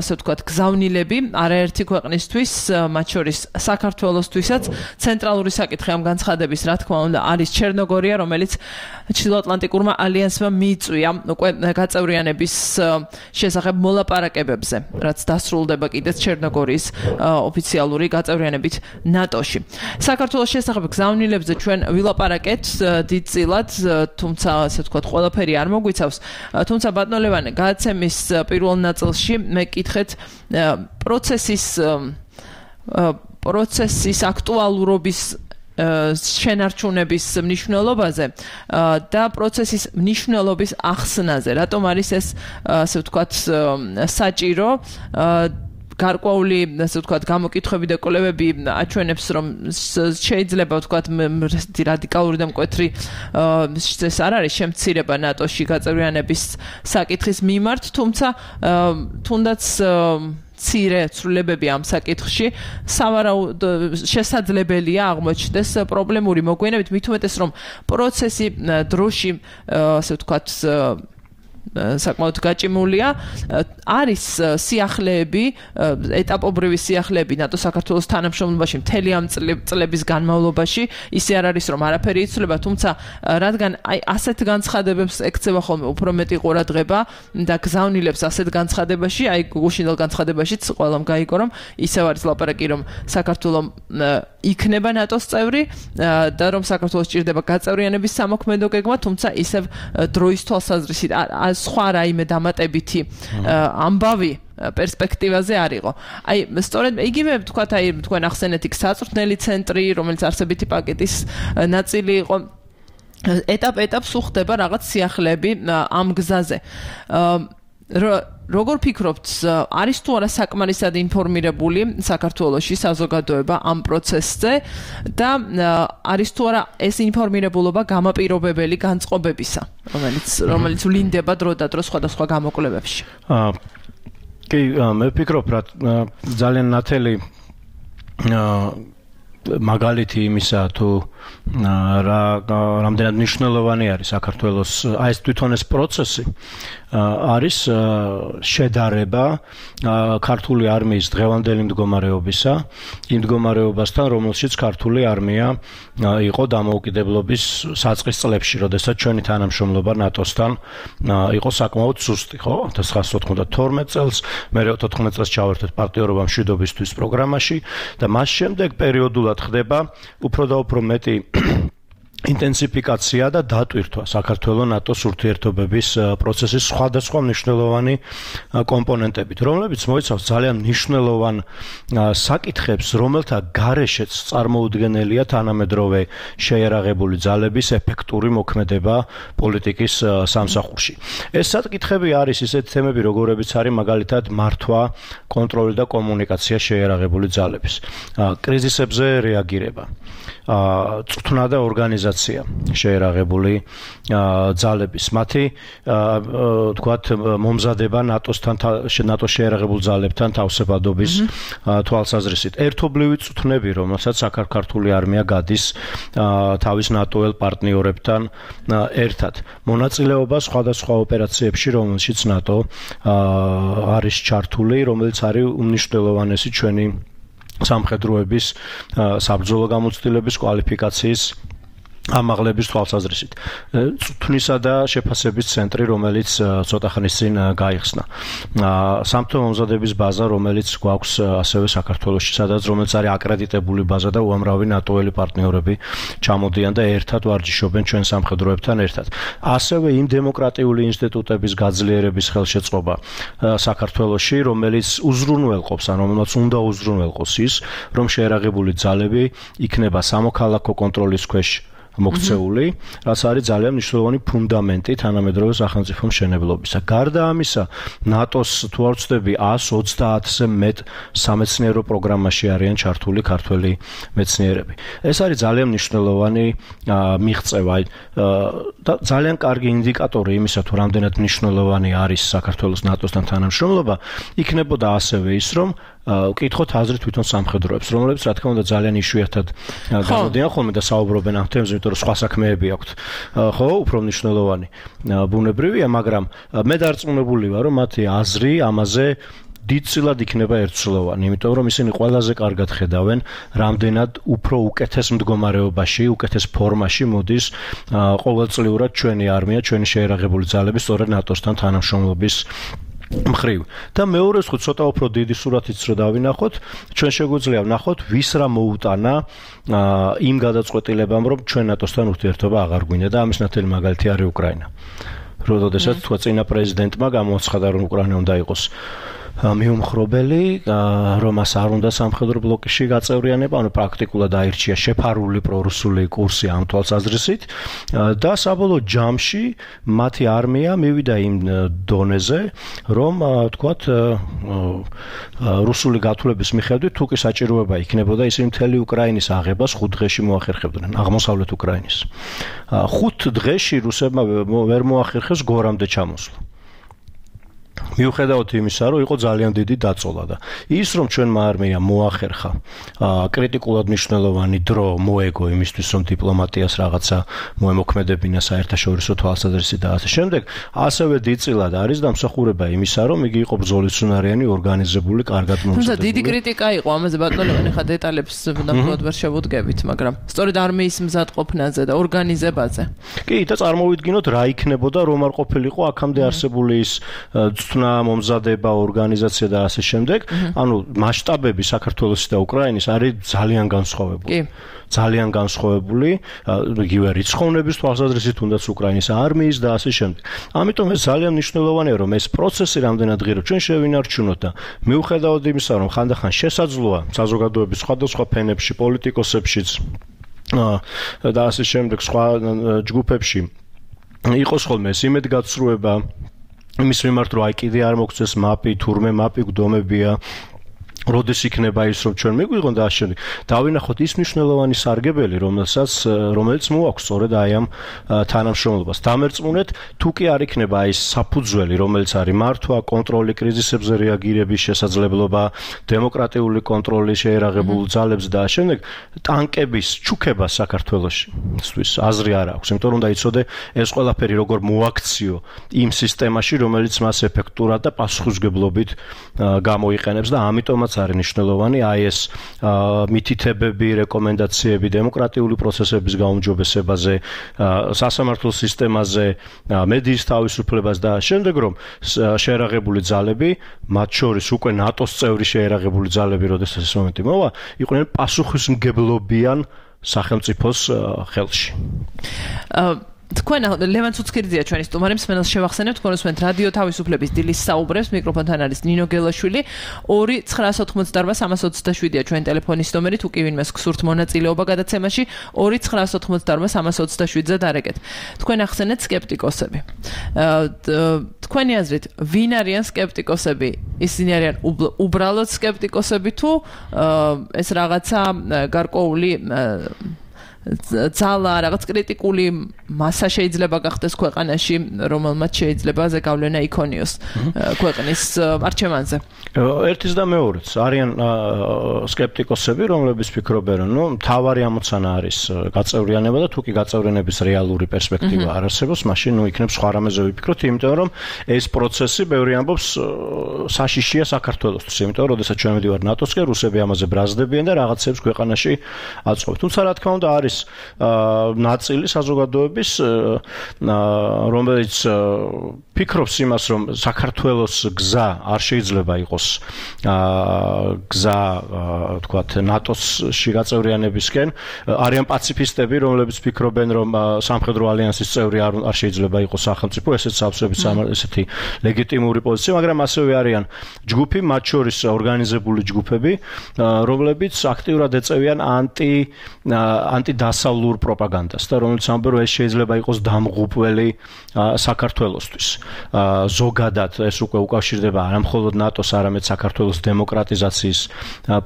D: ასე ვთქვათ, გზავნილები არაერთი ქვეყნისთვის, მათ შორის საქართველოსთვისაც. ცენტრალური საკითხი ამ განცხადების, რა თქმა უნდა, არის ჩერნოგორია, რომელიც ჩრდილოატლანტიკურმა ალიანსმა მიიწვია უკვე გაწევრიანების შესახებ მოლაპარაკებებზე, რაც დასრულდება კიდეც ჩერნოგორიის ოფიციალური გაწევრიანებით ნატოში. საქართველოს შესახებ გზავნილებზე ჩვენ ვილაპარაკეთ დიდწილად, თუმცა ასე ვთქვათ, ყველაფერი არ მოგვიცავს. თუმცა ბატონო ლევანე, გადაცემის პირველ ნაწილში მე კითხეთ პროცესის პროცესის აქტუალურობის შენარჩუნების მნიშვნელობაზე და პროცესის მნიშვნელობის ახსნაზე. რატომ არის ეს, ასე ვთქვათ, საჭირო? გარკვეული, ასე ვთქვათ, გამოკითხვები და კვლევები აჩვენებს, რომ შეიძლება ვთქვათ რადიკალური და მკვეთრი ეს არ არის შემცირება ნატოში გაწევრიანების საკითხის მიმართ, თუმცა თუნდაც ცირე ცვლილებები ამ საკითხში სავარაუდოდ შესაძლებელია აღმოჩნდეს პრობლემური მოგვიანებით, მით უმეტეს რომ პროცესი დროში, ასე ვთქვათ, საკმაოდ გაჭიმულია. არის სიახლეები, ეტაპობრივი სიახლეები ნატო საქართველოს თანამშრომლობაში მთელი ამ წლების განმავლობაში, ისე არ არის რომ არაფერი იცვლება, თუმცა რადგან აი ასეთ განცხადებებს ექცევა ხოლმე უფრო მეტი ყურადღება და გზავნილებს ასეთ განცხადებაში, აი გუშინდელ განცხადებაშიც ყველამ გაიგო რომ ისევ არის ლაპარაკი რომ საქართველო იქნება ნატოს წევრი და რომ საქართველოს ჭირდება გაწევრიანების სამოქმედო გეგმა, თუმცა ისევ დროის თვალსაზრისით სხვა რაიმე დამატებითი ამბავი პერსპექტივაზე არ იყო. აი, სწორედ იგივე ვთქვათ, აი, თქვენ ახსენეთ იქ საწვრთნელი ცენტრი, რომელიც არსებითი პაკეტის ნაწილი იყო. ეტაპ-ეტაპ სუხდება რაღაც სიახლეები ამ გზაზე. როგორ ფიქრობთ, არის თუ არა საკმარისად ინფორმირებული საქართველოში საზოგადოება ამ პროცესზე და არის თუ არა ეს ინფორმირებულობა გამაპირობებელი განწყობებისა, რომელიც რომელიც ვლინდება დრო და დრო სხვადასხვა გამოკვლევებში?
J: აა კი, მე ვფიქრობ, რა ძალიან ნათელი მაგალითი იმისა, თუ რა რამდენად მნიშვნელოვანი არის საქართველოს აი ეს თვითონ ეს პროცესი არის შედარება ქართული არმიის დღევანდელი მდგომარეობისა, იმ მდგომარეობასთან, რომელშიც ქართული არმია იყო დამოუკიდებლობის საწყის წლებში, როდესაც ჩვენი თანამშრომლობა ნატოსთან იყო საკმაოდ სუსტი, ხო? ათას ცხრაასი ოთხმოცდათორმეტ წელს, მერე ოთხმოცდაოთხ წელს ჩავერთეთ პარტნიორობა მშვიდობისთვის პროგრამაში და მას შემდეგ პერიოდულად ხდება უფრო და უფრო მეტი ინტენსიფიკაცია და დატვირთვა საქართველოს ნატოს ურთიერთობების პროცესის სხვადასხვა მნიშვნელოვანი კომპონენტებით, რომლებიც მოიცავს ძალიან მნიშვნელოვან საკითხებს, რომელთა გარეშეც წარმოუდგენელია თანამედროვე შეიარაღებული ძალების ეფექტური მოქმედება პოლიტიკის სამსახურში. ეს საკითხები არის ისეთი თემები, როგორებიც არის მაგალითად მართვა, კონტროლი და კომუნიკაცია შეიარაღებული ძალების, კრიზისებზე რეაგირება, წვრთნა და ორგანიზაცია შეიარაღებული ძალების, მათი თქვათ მომზადება ნატოსთან ნატოს შეიარაღებულ ძალებთან თავსებადობის თვალსაზრისით, ერთობლივი წვრთნები, რომელსაც საქართველოს არმია გადის თავის ნატოელ პარტნიორებთან ერთად, მონაწილეობა სხვადასხვა ოპერაციებში, რომელშიც ნატო არის ჩართული, რომელიც არის უმნიშვნელოვანესი ჩვენი სამხედროების საბრძოლო გამოცდილების კვალიფიკაციის ამაღლების თვალსაზრისით. წვრთნისა და შეფასების ცენტრი, რომელიც ცოტა ხნის წინ გაიხსნა. სამთო მომზადების ბაზა, რომელიც გვაქვს ასევე საქართველოში, სადაც რომელიც არის აკრედიტებული ბაზა და უამრავი ნატოელი პარტნიორები ჩამოდიან და ერთად ვარჯიშობენ ჩვენ სამხედროებთან ერთად. ასევე იმ დემოკრატიული ინსტიტუტების გაძლიერების ხელშეწყობა საქართველოში, რომელიც უზრუნველყოფს, ან რომელსაც უნდა უზრუნველყოს ის, რომ შეიარაღებული ძალები იქნება სამოქალაქო კონტროლის ქვეშ მოქცეული, რაც არის ძალიან მნიშვნელოვანი ფუნდამენტი თანამედროვე სახელმწიფო მშენებლობისა. გარდა ამისა, ნატოს თუ არ ვცდები εκατს ოცდაათზე მეტ სამეცნიერო პროგრამაში არიან ჩართული ქართველი მეცნიერები. ეს არის ძალიან მნიშვნელოვანი მიღწევა და ძალიან კარგი ინდიკატორი იმისა, თუ რამდენად მნიშვნელოვანი არის საქართველოს ნატოსთან თანამშრომლობა, იქნებოდა ასევე ის, რომ ვკითხოთ აზრით თვითონ სამხედროებს, რომლებიც რა თქმა უნდა ძალიან იშვიათად გამოდიან ხოლმე და საუბრობენ ამ თემებზე, იმიტომ რომ სხვა საქმეები აქვთ. ხო, უფრო მნიშვნელოვანი ბუნებრივია, მაგრამ მე დარწმუნებული ვარ, რომ მათი აზრი ამაზე დიდწილად იქნება ერთსულოვანი, იმიტომ რომ ისინი ყველაზე კარგად ხედავენ, რამდენად უფრო უკეთეს მდგომარეობაში, უკეთეს ფორმაში მოდის ყოველწლიურად ჩვენი არმია, ჩვენი შეერაღებული ძალები სწორედ ნატოსთან თანამშრომლობის მხრივ. და მეორე ხუთ ცოტა უფრო დიდი სურათიც რო დავინახოთ, ჩვენ შეგვიძლია ვნახოთ, ვის რა მოუტანა იმ გადაწყვეტილებამ, რომ ჩვენ ნატოსთან ურთიერთობა აღარ გვინდა და ამის ნათელი მაგალითი არის უკრაინა. როდესაც თქვა წინა პრეზიდენტმა გამოაცხადა, რომ უკრაინა უნდა იყოს მიუმხრობელი, რომ მას არ უნდა სამხედრო ბლოკში გაწევრიანება, ანუ პრაქტიკულად აირჩია შეფარული პრორუსული კურსი ამ თვალსაზრისით და საბოლოო ჯამში მათი არმია მივიდა იმ დონეზე, რომ თქვათ რუსული გათვლების მიხედვით თუ კი საჭიროება იქნებოდა, ისინი მთელი უკრაინის აღებას ხუთ დღეში მოახერხებდნენ, აღმოსავლეთ უკრაინის. ხუთ დღეში რუსებმა ვერ მოახერხეს გორამდე ჩამოსვლა. მიუხედავად იმისა, რომ იყო ძალიან დიდი დაწოლა და ის, რომ ჩვენმა არმიამ მოახერხა კრიტიკულად მნიშვნელოვანი დრო მოეგო იმისთვის, რომ დიპლომატიას რაღაცა მოემოქმედებინა საერთაშორისო თვალსაზრისით და ასე შემდეგ, ასევე დიდწილად არის დამსახურება იმისა, რომ იგი იყო ბრძოლისუნარიანი, ორგანიზებული, კარგად მომზადებული. თუმცა დიდი
D: კრიტიკა იყო ამაზე, ბატონო, ხა დეტალებს ნამდვილად ვერ შევუდგებით, მაგრამ სწორედ არმიის მზადყოფნაზე და ორგანიზებაზე.
J: კი, და წარმოვიდგინოთ რა იქნებოდა, რომ არ ყოფილიყო აქამდე არსებული ის ცნა, მომზადება, ორგანიზაცია და ასე შემდეგ, ანუ მასშტაბები საქართველოსი და უკრაინის არის ძალიან განსხვავებული. კი. ძალიან განსხვავებული, იგივე რიცხოვნების თვალსაზრისით, თუნდაც უკრაინის არმიის და ასე შემდეგ. ამიტომ ეს ძალიან მნიშვნელოვანია, რომ ეს პროცესი რამდენად ღირო ჩვენ შევინარჩუნოთ და მიუხედავად იმისა, რომ ხანდახან შესაძლოა საზოგადოების სხვადასხვა ფენებში, პოლიტიკოსებშიც და ასე შემდეგ სხვა ჯგუფებში იყოს ხოლმე ეს იმედგაცრუება იმის მიმართ, რომ აი კიდე არ მოგწეს მაპი, თურმე მაპი გვდომებია, როდის იქნება ის, რომ ჩვენ მიგვიღონ და ასე შემდეგ. დავინახოთ ის მნიშვნელოვანი სარგებელი, რომელსაც რომელიც მოაქვს სწორედ აი ამ თანამშრომლობას. დამერწმუნეთ, თუ კი არ იქნება ის საფუძველი, რომელიც არის მართვა, კონტროლი, კრიზისებზე რეაგირების შესაძლებლობა, დემოკრატიული კონტროლი შეერაღებულ ძალებს და ასე შემდეგ, ტანკების ჩუქება საქართველოში. ისთვის აზრი არ აქვს, იმიტომ რომ დაიცოდე ეს ყველაფერი როგორ მოაქციო იმ სისტემაში, რომელიც მას ეფექტურად და პასუხისმგებლობით გამოიყენებს და ამიტომაც არის მნიშვნელოვანი აი ეს მითითებები, რეკომენდაციები დემოკრატიული პროცესების გაუმჯობესებაზე, სასამართლო სისტემაზე, მედიის თავისუფლებას და შემდეგ, რომ შეერაღებული ძალები, მათ შორის უკვე ნატოს წევრი შეერაღებული ძალები, როდესაც ეს მომენტი მოვა, იყვნენ პასუხისმგებლობიან სახელმწიფოს ხელში.
D: თქვენ ლევან ცუცქირიძეა ჩვენი სტუმარი, მსმენელს შევახსენებთ, თქვენ უსმენთ რადიო თავისუფლების დილის საუბრებს, მიკროფონთან არის ნინო გელაშვილი. ორი ცხრაას ოთხმოცდაარბა სამას ოცდაშვიდია ჩვენი ტელეფონის ნომერი, თუ კი ვინმეს გსურთ მონაწილეობა გადაცემაში, ორი ცხრაას ოთხმოცდაარბა სამას ოცდაშვიდზე დარეკეთ. თქვენ ახსენეთ სკეპტიკოსები. თქვენი აზრით, ვინ არიან სკეპტიკოსები? ისინი არიან უბრალოდ სკეპტიკოსები თუ ეს რაღაცა გარკვეული ძალა, რაღაც კრიტიკული მასა შეიძლება გახდეს ქვეყანაში, რომელმაც შეიძლება ზეგავლენა იქონიოს ქვეყნის არჩევანზე.
J: ერთის და მეორეც არიან სკეპტიკოსები, რომლებიც ფიქრობენ, რომ ნუ მთავარი ამოცანა არის გაწევრიანება და თუ კი გაწევრიანების რეალური პერსპექტივა არ არსებობს, მაშინ ნუ იქნებ სხვა რამეზე ვიფიქროთ, იმიტომ რომ ეს პროცესი ბევრი ამბობს საშიშია საქართველოსთვის, იმიტომ რომ როდესაც ჩვენ მივდივართ ნატოსკენ, რუსები ამაზე ბრაზდებიან და რაღაცებს ქვეყანაში აწყობენ. თუმცა რა თქმა უნდა არის ნაწილი საზოგადოების, რომელიც ფიქრობს იმას, რომ საქართველოს გზა არ შეიძლება იყოს საქართველოს გზა თქვათ ნატოსში გაწევრიანებისკენ არიან პაციფისტები, რომლებიც ფიქრობენ, რომ სამხედრო ალიანსის წევრი არ არ შეიძლება იყოს სახელმწიფო, ესეც სავსებით ესეთი ლეგიტიმური პოზიცია, მაგრამ ასევე არიან ჯგუფი, მათ შორის ორგანიზებული ჯგუფები, რომლებიც აქტიურად ეწევიან ანტი ანტიდასავლურ პროპაგანდას და რომელიც ამბობენ, რომ ეს შეიძლება იყოს დამღუპველი საქართველოსთვის. ზოგადად ეს უკვე უკავშირდება არა მხოლოდ ნატოს, არამედ საქართველოს დემოკრატიზაციის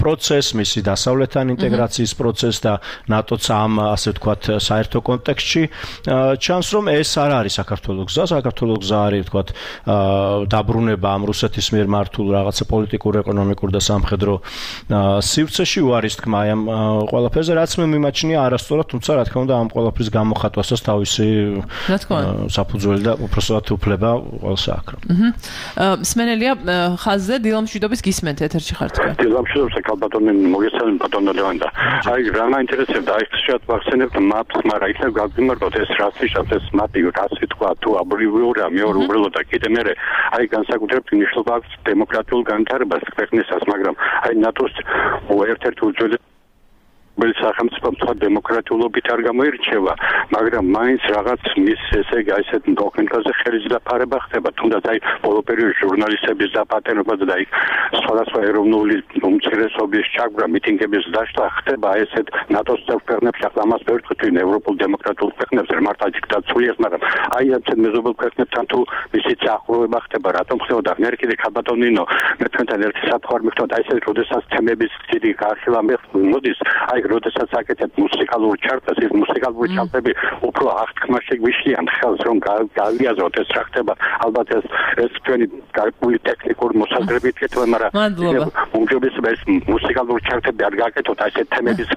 J: პროცესს, მისი დასავლეთთან ინტეგრაციის პროცესს და ნატოც ამ ასე ვთქვათ საერთო კონტექსტში ჩანს, რომ ეს არ არის საქართველოს გზა, საქართველოს გზა არის ვთქვათ დაბრუნება ამ რუსეთის მიერ მართულ რაღაცა პოლიტიკურ, ეკონომიკურ და სამხედრო სივრცეში უარის თქმა აი ამ ყველაფერზე, რაც მე მიმაჩნია არასწორად, თუმცა რა თქმა უნდა ამ ყველაფრის გამოხატვასაც თავისი საფუძველი და უпроსტად უფლება ყველს აქვს.
D: აჰა. სმენელია ხაზზე დილამ მშვიდობის გისმენთ ეთერში ხართ თქვენ.
K: დილამ მშვიდობის კალბატონი მოგესალმებით ბატონო ლევანდა. აი რა მაინტერესებდა აი ხშირად ვახსენებთ მაპს, მაგრამ იქნებ გავგიმართოთ ეს რაც ისევ ეს მაპი რაც თქვა თუ აბრივიურია მეორე უბრალოდ და კიდე მე აი განსაკუთრებით მნიშვნელობა აქვს დემოკრატიულ განვითარებას ქვეყნისას, მაგრამ აი ნატოს ერთ-ერთი უძველესი სახელმწიფო სხვა დემოკრატიულობით არ გამოირჩევა, მაგრამ მაინც რაღაც მის ესე იგი აი ესეთ დოკუმენტაზე ხელის დაფარება ხდება, თუნდაც აი ბოლო პერიოდში ჟურნალისტების დაპატენება და აი სხვადასხვა ეროვნული უმცირესობის ჩაგვრა, მიტინგების დაშლა ხდება აი ესეთ ნატოს ქვეყნებში, ახლა ამას ვერ ვთქვით ევროპულ დემოკრატიულ ქვეყნებზე, მართლა დიქტატურიას, მაგრამ აი ამ მეზობელ ქვეყნებთან თუ მისი წახროვება ხდება, რატომ ხდება? მე კიდე ქაბატონინო, მე თქვენთან ერთი საფრთხე მიხდოთ, აი ესეთ როდესაც თემების დიდი გარშევა მოდის, აი როდესაც აკეთებ მუსიკალურ ჩარტს, ეს მუსიკალური ჩარტები უფრო აღთქმას შეგვიშლიან ხელს, რომ გავიაზროთ ეს რა ხდება. ალბათ ეს ეს თქვენი გარკვეული ტექნიკური მოსაზრებით ეკეთება, მაგრამ უმჯობესია ეს მუსიკალური ჩარტები არ გააკეთოთ აი ეს თემების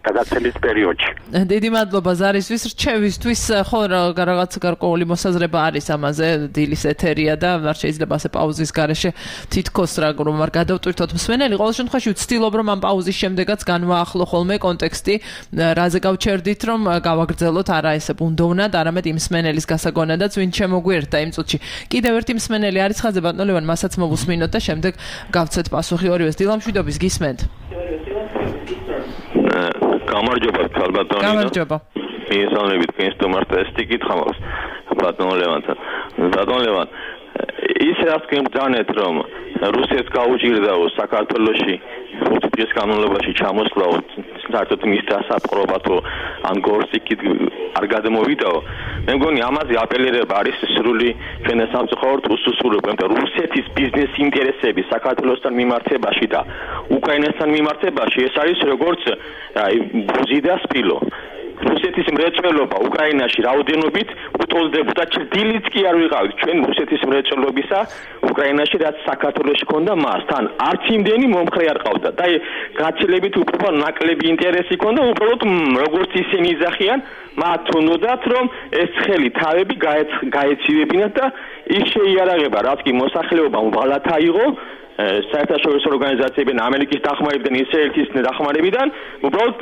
K: გადაცემის პერიოდში.
D: დიდი მადლობა ზარისთვის, რჩევისთვის, ხო რაღაც გარკვეული მოსაზრება არის ამაზე, დილის ეთერია და არ შეიძლება ასე პაუზის გარეშე თითქოს რა რომ არ გადავტვირთოთ მსმენელი. ყოველ შემთხვევაში ვცდილობ რომ ამ პაუზის შემდეგაც განვაახლო ხოლმე კონტექსტი, რაზე გავჩერდით, რომ გავაგრძელოთ არა ესე ბუნდოვნად, არამედ იმ მსმენელის გასაგონადაც, ვინც შემოგვიერთდა იმ წუთში. კიდევ ერთი მსმენელი არის ხაზზე, ბატონო ლევან, მასაც მოვუსმინოთ და შემდეგ გავცეთ პასუხი ორივეს. დილამ მშვიდობის გისმენთ.
L: გამარჯობა, ბატონო.
D: გამარჯობა.
L: მიესალმებით თქვენ სტუმარს და ეს ტიკითხა მაქვს ბატონო ლევანთან. ბატონო ლევან, ის რაც გემბძანეთ, რომ რუსეთს გაუჭირდაო საქართველოში ხუთი დღის განმავლობაში ჩამოსვლაო, საერთოდ მის დასაპყრობათო ან გორსიკით არ გადმოვიდაო. მე მგონი ამაზე აპელირება არის სრული ჩვენ სამწუხაროდ უსუსურება, იმიტომ რომ რუსეთის ბიზნეს ინტერესები საქართველოსთან მიმართებაში და უკრაინასთან მიმართებაში ეს არის როგორც აი ბუზი და სპილო. რუსეთის მრეწველობა უკრაინაში რაოდენობით უტოლდებოდა, ჭრდილიც კი არ ვიყავით ჩვენ რუსეთის მრეწველობისა უკრაინაში, რაც საქართველოში ქონდა მასთან არც იმდენი მომხრე არ ყავდა და გაცილებით უფრო ნაკლები ინტერესი ქონდა, უბრალოდ როგორც ისინი იძახიან, მათ უნდათ რომ ეს ხელი თავები გაეცივებინათ და ის შეიარაღება, რაც კი მოსახლეობამ ვალად აიღო საერთაშორისო ორგანიზაციებიდან, ამერიკის დახმარებიდან, ისრაელის დახმარებიდან, უბრალოდ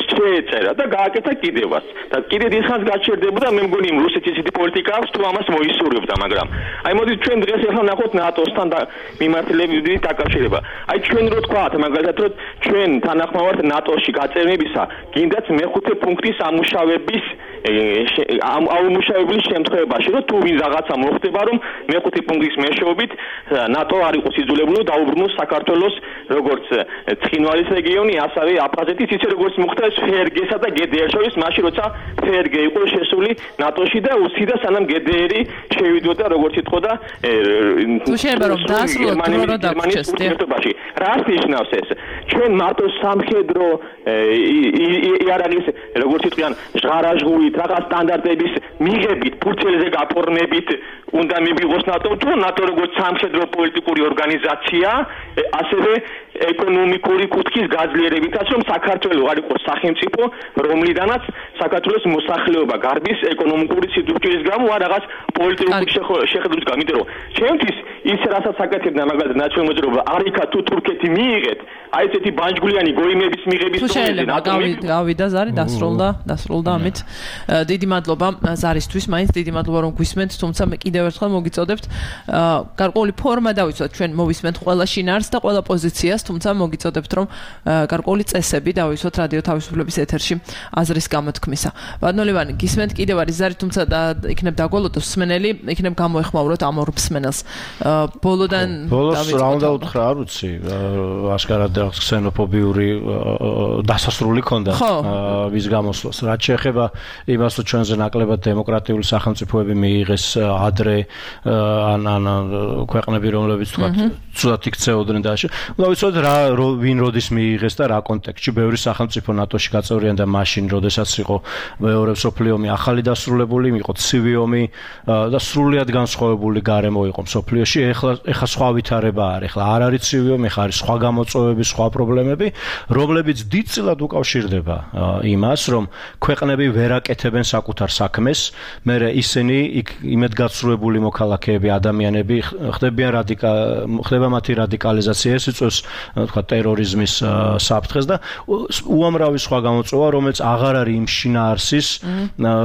L: შეეწერა და გააკეთა კიდევაც. და კიდევ დიდხანს გაჩერდებოდა, მე მგონი რუსეთის ისეთი პოლიტიკა აქვს, თუ ამას მოისურვებდა, მაგრამ აი მოდით ჩვენ დღეს ახლა ნახოთ ნატოსთან და მიმართულებით დაკავშირება. აი ჩვენ რო თქვათ, მაგალითად, რომ ჩვენ თანახმოვართ ნატოში გაწევნებისა, გინდათ მეხუთე პუნქტის ამუშავების ამ ამუშავების შემთხვევაში, რომ თუ ვინ რაღაცა მოხდება, რომ მეხუთე პუნქტის მეშვეობით ნატო არ იყოს იძულებული დაუბრუნოს საქართველოს როგორც ცხინვალის რეგიონი, ასევე აფხაზეთის, ისე როგორც მოხდა ფერგესა და გედერს შორის, მაშინ როცა ფერგე იყო შესული ნატოში და უსიდა სანამ გედერი შევიდოდა, როგორც იტყოდა
D: თუ შეიძლება რომ დაასრულოთ დრო დაგვრჩეს
L: ერთობაში. რას ნიშნავს ეს? ჩვენ მარტო სამხედრო იარაღის, როგორც იტყვიან, ჟღარაჟღუით, რაღაც სტანდარტების მიღებით, ფურცელზე გაფორმებით უნდა მივიღოს ნატო, თუ ნატო როგორც სამხედრო პოლიტიკური ორგანიზაცია, ასევე ეკონომიკური კუთხის გაძლიერებითაც, რომ საქართველო არ იყოს სახელმწიფო, რომლიდანაც საქართველოს მოსახლეობა გარბის ეკონომიკური სიძულვილის გამო არ რაღაც პოლიტიკური შეხედვით გამიდრო. ჩემთვის ის რასაც აკეთებდა მაგალითად ნაციონალური მოძრაობა, არიქა თუ თურქეთი მიიღეთ, აი ესეთი ბანჯგვლიანი გოიმების მიღების
D: პროცესზე გავიდა ზარი დასრულდა დასრულდა ამით დიდი მადლობა ზარისთვის მაინც დიდი მადლობა რომ გვისმენთ თუმცა მე კიდევ ერთხელ მოგიწოდებთ გარკვეული ფორმა დავიცვათ ჩვენ მოვისმენთ ყველა შინაარსს და ყველა პოზიციას თუმცა მოგიწოდებთ რომ გარკვეული წესები დავიცვათ რადიო თავისუფლების ეთერში აზრის გამოთქმისა ბატონო ლევანი გისმენთ კიდევ არის ზარი თუმცა იქნებ დაგვალოდოს მსმენელი იქნებ გამოეხმაუროთ ამ ორ მსმენელს ბოლოდან
J: ბოლოს რა უნდა უთხრა არ ვიცი აშკარად ქსენოფობიური დასასრული ქონდა ვის გამოსვლას რაც შეეხება იმას რომ ჩვენზე ნაკლებად დემოკრატიული სახელმწიფოები მიიღეს ადრე ან ან ქვეყნები რომლებიც თქვა ცუდად იქცეოდნენ და და ვიცოდეთ რა ვინ როდის მიიღეს და რა კონტექსტში ბევრი სახელმწიფო ნატოში გაწევრიანდა მაშინ როდესაც იყო მეორე მსოფლიო ომი ახალი დასრულებული იყო ცივი ომი და სრულიად განსხვავებული გარემო იყო მსოფლიოში ეხლა ეხლა სხვა ვითარება არის ეხლა არ არის ცივი ომი ეხლა არის სხვა გამოწვევები სხვა პრობლემები რომლებიც დიდწილად უკავშირდება იმას რომ ქვეყნები ვერ აკეთებენ საკუთარ საქმეს მე ისინი იქ იმედგაცრუებული მოქალაქეები ადამიანები ხდებიან რადიკა ხდება მათი რადიკალიზაცია ეს იწვევს თქვა ტერორიზმის საფრთხეს და უამრავი სხვა გამოწვევა რომელიც აღარ არის იმ შინაარსის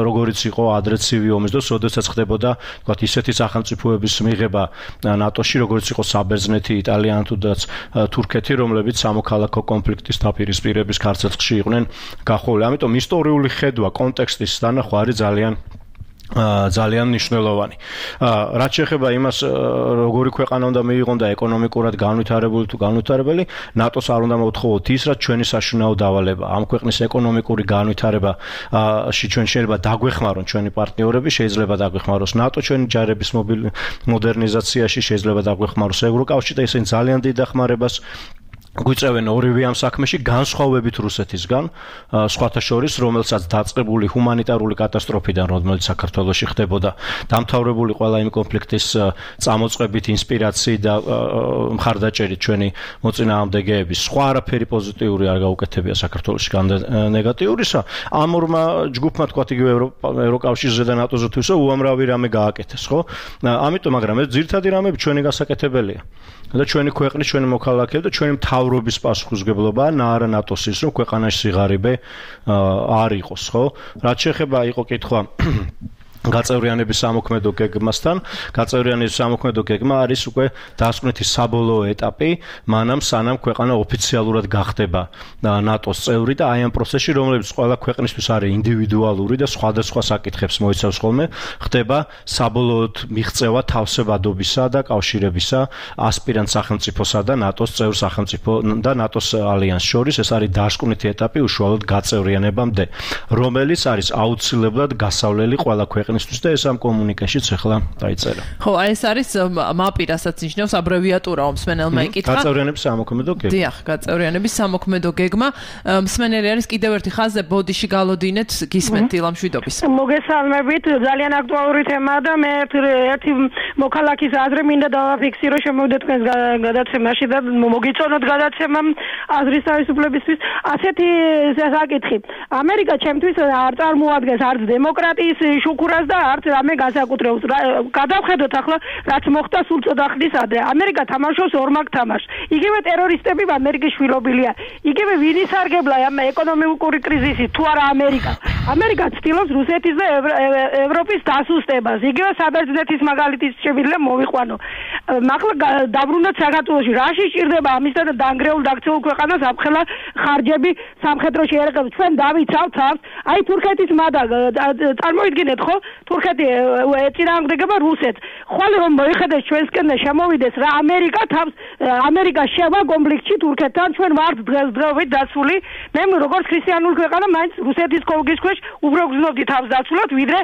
J: როგორიც იყო ადრე ცივი ომის დროს როდესაც ხდებოდა თქვა ისეთი სახელმწიფოების მიღება ნატოში როგორც იყო საბერძნეთი იტალია თუდაც თურქეთი რომლებიც სამოქალაქო კონფლიქტის დაპირისპირების ქარცეცხლში იყვნენ გახოვილი ამიტომ ისტორიული ხედვა კონტექსტის დანახვა არის ძალიან ძალიან მნიშვნელოვანი. რაც შეეხება იმას, როგორი ქვეყანა უნდა მიიღონ და ეკონომიკურად განვითარებული თუ განვითარებელი, ნატოს არ უნდა მოთხოვოთ ის, რაც ჩვენი საშინაო დავალება. ამ ქვეყნის ეკონომიკური განვითარებაში ჩვენ შეიძლება დაგვეხმარონ ჩვენი პარტნიორები, შეიძლება დაგვეხმაროს ნატო ჩვენი ჯარების მოდერნიზაციაში, შეიძლება დაგვეხმაროს ევროკავშირი და ისინი ძალიან დიდ დახმარებას გვიწევენ ორივე ამ საქმეში განსხვავებით რუსეთისგან სხვათა შორის რომელსაც დაწყებული ჰუმანიტარული კატასტროფიდან რომელიც საქართველოში ხდებოდა დამთავრებული ყველა იმ კონფლიქტის წამოწყებით ინსპირაციით და მხარდაჭერით ჩვენი მოწინააღმდეგეების სხვა არაფერი პოზიტიური არ გაუკეთებია საქართველოში ნეგატიურისა ამ ორმა ჯგუფმა თქვა იგივე ევროკავშირზე და ნატოზე თუ ისე უამრავი რამე გააკეთეს ხო ამიტომ მაგრამ ეს ძირითადი რამები ჩვენი გასაკეთებელია და ჩვენი ქვეყნის ჩვენი მოქალაქეები და ჩვენი მთავრობის პასუხისმგებლობაა არა ნატოს ის რომ ქვეყანაში სიღარიბე არ იყოს ხო რაც შეეხება იყო კითხვა გაწევრიანების სამოქმედო გეგმასთან გაწევრიანების სამოქმედო გეგმა არის უკვე დასკვნითი საბოლოო ეტაპი მანამ სანამ ქვეყანა ოფიციალურად გახდება ნატოს წევრი და აი ამ პროცესში რომლებიც ყველა ქვეყნისთვის არის ინდივიდუალური და სხვადასხვა საკითხებს მოიცავს ხოლმე ხდება საბოლოოდ მიღწევა თავსებადობისა და კავშირებისა ასპირანტ სახელმწიფოსა და ნატოს წევრ სახელმწიფო და ნატოს ალიანსს შორის ეს არის დასკვნითი ეტაპი უშუალოდ გაწევრიანებამდე რომელიც არის აუცილებლად გასავლელი ყველა ქვეყნის და ეს ამ კომუნიკაშიც ახლა დაიწერა.
D: ხო, აი ეს არის მაპი, რასაც ნიშნავს აბრევიატურა მსმენელმა იკითხა.
J: გაწევრიანების სამოქმედო გეგმა.
D: დიახ, გაწევრიანების სამოქმედო გეგმა. მსმენელი არის კიდევ ერთი ხაზზე ბოდიში გალოდინეთ გისმენთ დილამშვიდობის.
M: მოგესალმებით, ძალიან აქტუალური თემაა და მე ერთი მოქალაქის აზრი მინდა დავაფიქსირო შემოვიდეთ თქვენს გადაცემაში და მოგიწონოთ გადაცემა აზრის თავისუფლებისთვის. ასეთი საკითხი. ამერიკა ჩემთვის არ წარმოადგენს არც დემოკრატიის შუქურას და არც რამე განსაკუთრებს. გადავხედოთ ახლა რაც მოხდა სულ წოდა ხნის ადრე. ამერიკა თამაშობს ორმაგ თამაშს. იგივე ტერორისტები ამერიკის შვილობილია. იგივე ვინ ისარგებლა ამ ეკონომიკური კრიზისით თუ არა ამერიკა. ამერიკა ცდილობს რუსეთის და ევროპის დასუსტებას. იგივე საბერძნეთის მაგალითის შეგვიძლია მოვიყვანო. ახლა დაბრუნდათ საქართველოში. რაში სჭირდება ამისთან დაანგრეულ დაქცეულ ქვეყანას აფხელა ხარჯები სამხედროში ერეყებს. ჩვენ დავიცავთ თავს. აი თურქეთის მადა წარმოიდგინეთ ხო თურქეთი ეწინააღმდეგება რუსეთს ხვალ რომ მოიხედეს ჩვენსკენ და შემოვიდეს რა ამერიკა თავს ამერიკა შევა კონფლიქტში თურქეთთან ჩვენ ვართ დღესდღეობით დაცული მე როგორც ქრისტიანული ქვეყანა მაინც რუსეთის კოლგის ქვეშ უფრო გზნობდი თავს დაცულად ვიდრე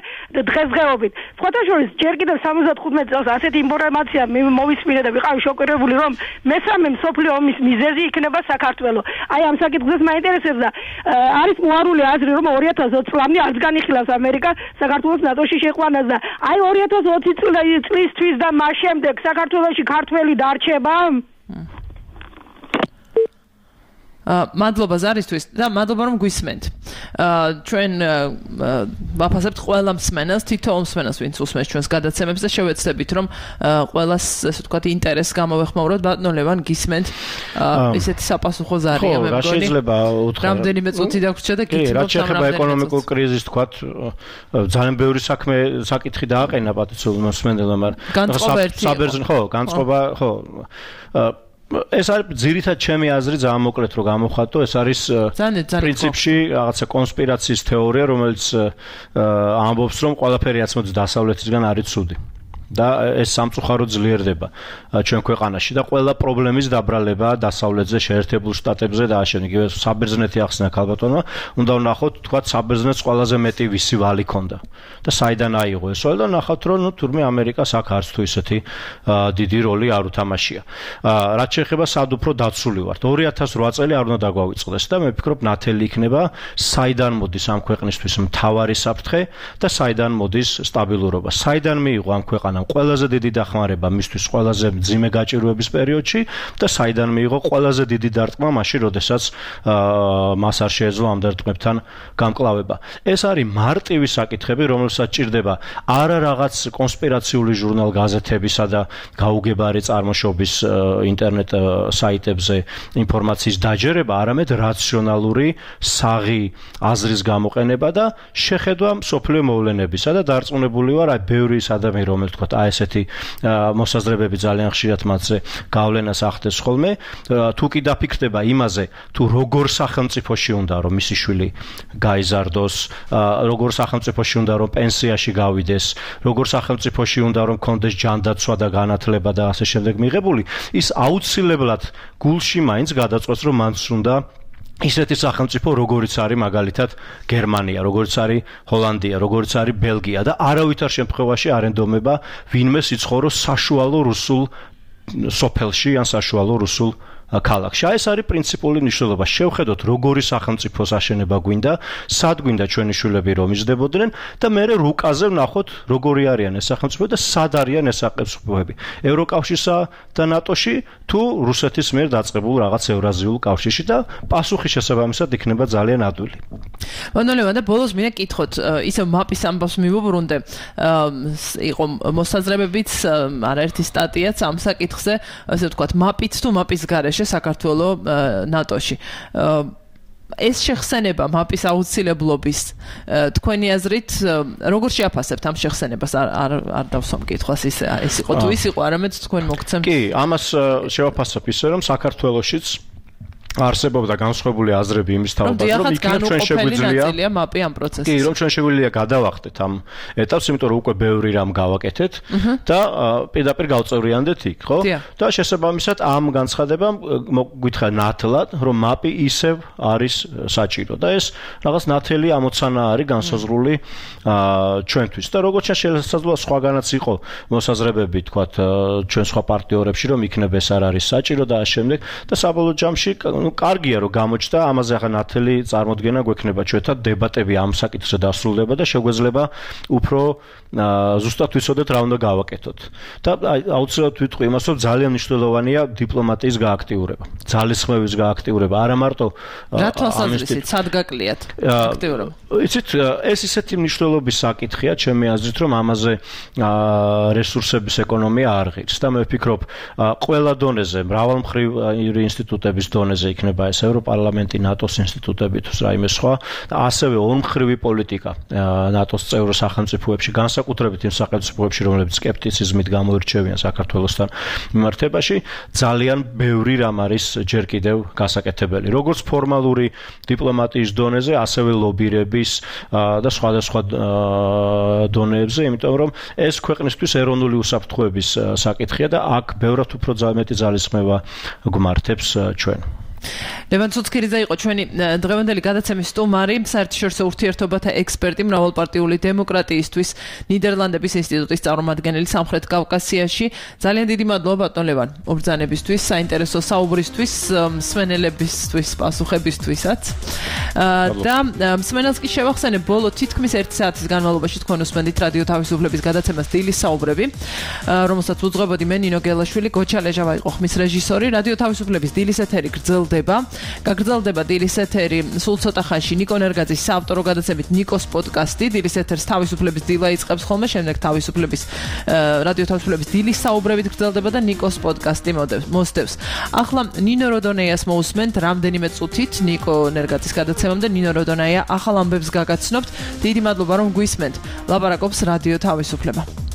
M: დღესდღეობით სხვათა შორის ჯერ კიდევ სამოცდახუთმეტ წელს ასეთი ინფორმაცია მოვისმინე და ვიყავი შოკირებული რომ მესამე მსოფლიო ომის მიზეზი იქნება საქართველო აი ამ საკითხს მაინტერესებს და არის მოარული აზრი რომ ორი ათას ოცი წლამდე არც განიხილავს ამერიკა საქართველოს ნატოში შეყვანას და აი ორი ათას ოცი წლისთვის და მას შემდეგ საქართველოში ქართველი დარჩება
D: მადლობა ზარისთვის და მადლობა რომ გვისმენთ. ჩვენ ვაფასებთ ყველა მსმენელს, თითოეულ მსმენელს, ვინც უსმენს ჩვენს გადაცემებს და შევეცდებით, რომ ყველას, ესე ვთქვათ, ინტერესს გამოვეხმაუროთ. ბატონო ლევან, გისმენთ, ესეთი sapasukho ზარია მე მგონი.
J: რა შეიძლება უთხრა?
D: რამდენიმე წუთი დაგვრჩა და გითხრათ.
J: კი, რა შეიძლება ეკონომიკურ კრიზისს თქვათ, ძალიან ბევრი საქმე საკითხი დააყენა პატიცულ მსმენელმა, მაგრამ საბერძნო, ხო, განწყობა, ხო. ეს არის ძირითად ჩემი აზრი ძალიან მოკლედ რომ გამოვხატო, ეს არის პრინციპში რაღაცა კონსპირაციის თეორია, რომელიც ამბობს, რომ ყველაფერი რაც მოდის დასავლეთისგან არის ცუდი. და ეს სამწუხაროდ ძლიერდება ჩვენ ქვეყანაში და ყველა პრობლემის დაბრალება დასავლეთზე, შეერთებულ შტატებზე და ასე იგივე საბერძნეთი ახსნა ქალბატონმა, უნდა ვნახოთ, თქვა საბერძნეთს ყველაზე მეტი ვისი ვალი ქონდა და საიდან აიღო ეს ვალი და ნახავთ, რომ ნუ თურმე ამერიკას აქ არც თუ ისეთი დიდი როლი არ უთამაშია. რაც შეეხება სად უფრო დაცული ვართ. ორი ათას რვა წელი არ უნდა დაგვავიწყდეს და მე ვფიქრობ ნათელი იქნება საიდან მოდის ამ ქვეყნისთვის მთავარი საფრთხე და საიდან მოდის სტაბილურობა. საიდან მიიღო ამ ქვეყანამ ყველაზე დიდი დახმარება მისთვის ყველაზე მძიმე გაჭირვების პერიოდში და საიდან მიიღო ყველაზე დიდი დარტყმა მაშინ, როდესაც მას არ შეეძლო ამ დარტყმებთან გამკლავება. ეს არის მარტივი საკითხები, რომელსაც ჭირდება არა რაღაც კონსპირაციული ჟურნალ გაზეთებისა და გაუგებარი წარმოშობის ინტერნეტ საიტებზე ინფორმაციის დაჯერება, არამედ რაციონალური საღი აზრის გამოყენება და შეხედვა მსოფლიო მოვლენებისა და დარწმუნებული ვარ, აი ბევრი ის ადამიანი, რომელიც თქვა აი ესეთი მოსაზრებები ძალიან ხშირად მათზე გავლენას ახდენს ხოლმე, თუ კი დაფიქრდება იმაზე, თუ როგორ სახელმწიფოში უნდა რომ მისი შვილი გაიზარდოს, როგორ სახელმწიფოში უნდა რომ პენსიაში გავიდეს, როგორ სახელმწიფოში უნდა რომ კონდეს ჯანდაცვა და განათლება და ასე შემდეგ მიღებული, ის აუცილებლად გულში მაინც გადაწყვეტს, რომ მანც უნდა ისეთი სახელმწიფო, როგორიც არის მაგალითად გერმანია, როგორიც არის ჰოლანდია, როგორიც არის ბელგია და არავითარ შემთხვევაში არ ენდომება ვინმე სიცხოვროს საშუალო რუსულ სოფელში ან საშუალო რუსულ ქალაქში. ეს არის პრინციპული მნიშვნელობა. შევხედოთ, როგორი სახელმწიფოს აშენება გვინდა, სად გვინდა ჩვენი შვილები რომ იზრდებოდნენ და მე რუკაზე ვნახოთ, როგორი არიან ეს სახელმწიფოები და სად არიან ეს სახელმწიფოები. ევროკავშირსა და ნატოში თუ რუსეთის მიერ დაწყებულ რაღაც ევრაზიულ კავშირში და პასუხი შესაბამისად იქნება ძალიან ადვილი.
D: ბატონო, და ბოლოს მინდა კითხოთ, ისევ მაპის ამბავს მივუბრუნდე, იყო მოსაზრებებიც, არაერთი სტატიაც ამ საკითხზე, ასე ვთქვათ, მაპით თუ მაპის გარეშე საქართველო ნატოში. ეს შეხსენება მაპის აუცილებლობის თქვენი აზრით როგორ შეაფასებთ ამ შეხსენებას? არ არ დავსვამ კითხვას, ის ეს იყო თუ ის იყო, არამედ თქვენ მოგცემთ.
J: კი, ამას შევაფასებ ისე, რომ საქართველოშიც არსებობდა განსხვავებული აზრები იმის თაობაზე, რომ იქნებ ჩვენ შეგვიძლია
D: მაპი ამ პროცესში.
J: კი, რომ ჩვენ შეგვიძლია გადავახტეთ ამ ეტაპს, იმიტომ რომ უკვე ბევრი რამ გავაკეთეთ და პირდაპირ გავწევრიანდეთ იქ, ხო? და შესაბამისად ამ განცხადებამ გითხრა ნათლად, რომ მაპი ისევ არის საჭირო და ეს რაღაც ნათელი ამოცანა არის განსაზღვრული ჩვენთვის. და როგორც შესაძლოა სხვაგანაც იყო მოსაზრებები, თქვათ, ჩვენ სხვა პარტნიორებში, რომ იქნებ ეს არ არის საჭირო და ამ შემდეგ და საბოლოო ჯამში ну კარგია რომ გამოჩნდა ამაზე ახლა ნათელი წარმოდგენა გვექნება ჩვენთან დებატები ამ საკითხზე დასრულდება და შეგვეძლება უფრო ზუსტად ვიცოდეთ რა უნდა გავაკეთოთ და აუცილებლად ვიტყვი იმას რომ ძალიან მნიშვნელოვანია დიპლომატიის გააქტიურება ძალისხმევის გააქტიურება არა მარტო
D: რა თვალსაზრისით სად გაკლიათ აქტიურობა
J: იცით ეს ისეთი მნიშვნელობის საკითხია ჩემი აზრით რომ ამაზე რესურსების ეკონომია არ ღირს და მე ვფიქრობ ყველა დონეზე მრავალმხრივი ინსტიტუტების დონეზე იქნება ეს ევროპარლამენტი, ნატოს ინსტიტუტები თუ რაიმე სხვა და ასევე ორმხრივი პოლიტიკა ნატოს წევრ სახელმწიფოებში, განსაკუთრებით იმ სახელმწიფოებში, რომლებიც სკეპტიციზმით გამოირჩევიან საქართველოსთან მიმართებაში, ძალიან ბევრი რამ არის ჯერ კიდევ გასაკეთებელი. როგორც ფორმალური დიპლომატიის დონეზე, ასევე ლობირების და სხვადასხვა დონეებზე, იმიტომ რომ ეს ქვეყნისთვის ეროვნული უსაფრთხოების საკითხია და აქ ბევრად უფრო მეტი ძალისხმევა გვმართებს ჩვენ.
D: ლევან ცუცქირიძე იყო ჩვენი დღევანდელი გადაცემის სტუმარი, საერთაშორისო ურთიერთობათა ექსპერტი, მრავალპარტიული დემოკრატიისთვის ნიდერლანდების ინსტიტუტის წარმომადგენელი სამხრეთ კავკასიაში. ძალიან დიდი მადლობა ბატონ ლევან უბრძანებისთვის, საინტერესო საუბრისთვის, მსმენელებისთვის, პასუხებისთვისაც. და მსმენელს კი შევახსენებ, ბოლო თითქმის ერთი საათის განმავლობაში თქვენ უსმენთ რადიო თავისუფლების გადაცემას დილის საუბრები, რომელსაც უძღვებოდი მე ნინო გელაშვილი, გოჩა ლეჟავა იყო ხმის რეჟისორი. რადიო თავისუფლების დილის ეთერი გრძელდება გრძელდება. გაგრძელდება დილის ეთერი სულ ცოტა ხანში ნიკო ნერგაძის საავტორო გადაცემით ნიკოს პოდკასტი. დილის ეთერს თავისუფლების დილა იწყებს ხოლმე, შემდეგ თავისუფლების რადიო თავისუფლების დილის საუბრებით გრძელდება და ნიკოს პოდკასტი მოსდევს. ახლა ნინო როდონეიას მოусმენთ რამდენიმე წუთით ნიკო ნერგაძის გადაცემამდე. ნინო როდონეია ახალ ამბებს გაგაცნობთ. დიდი მადლობა რომ გვისმენთ. ლაპარაკობს რადიო თავისუფლება.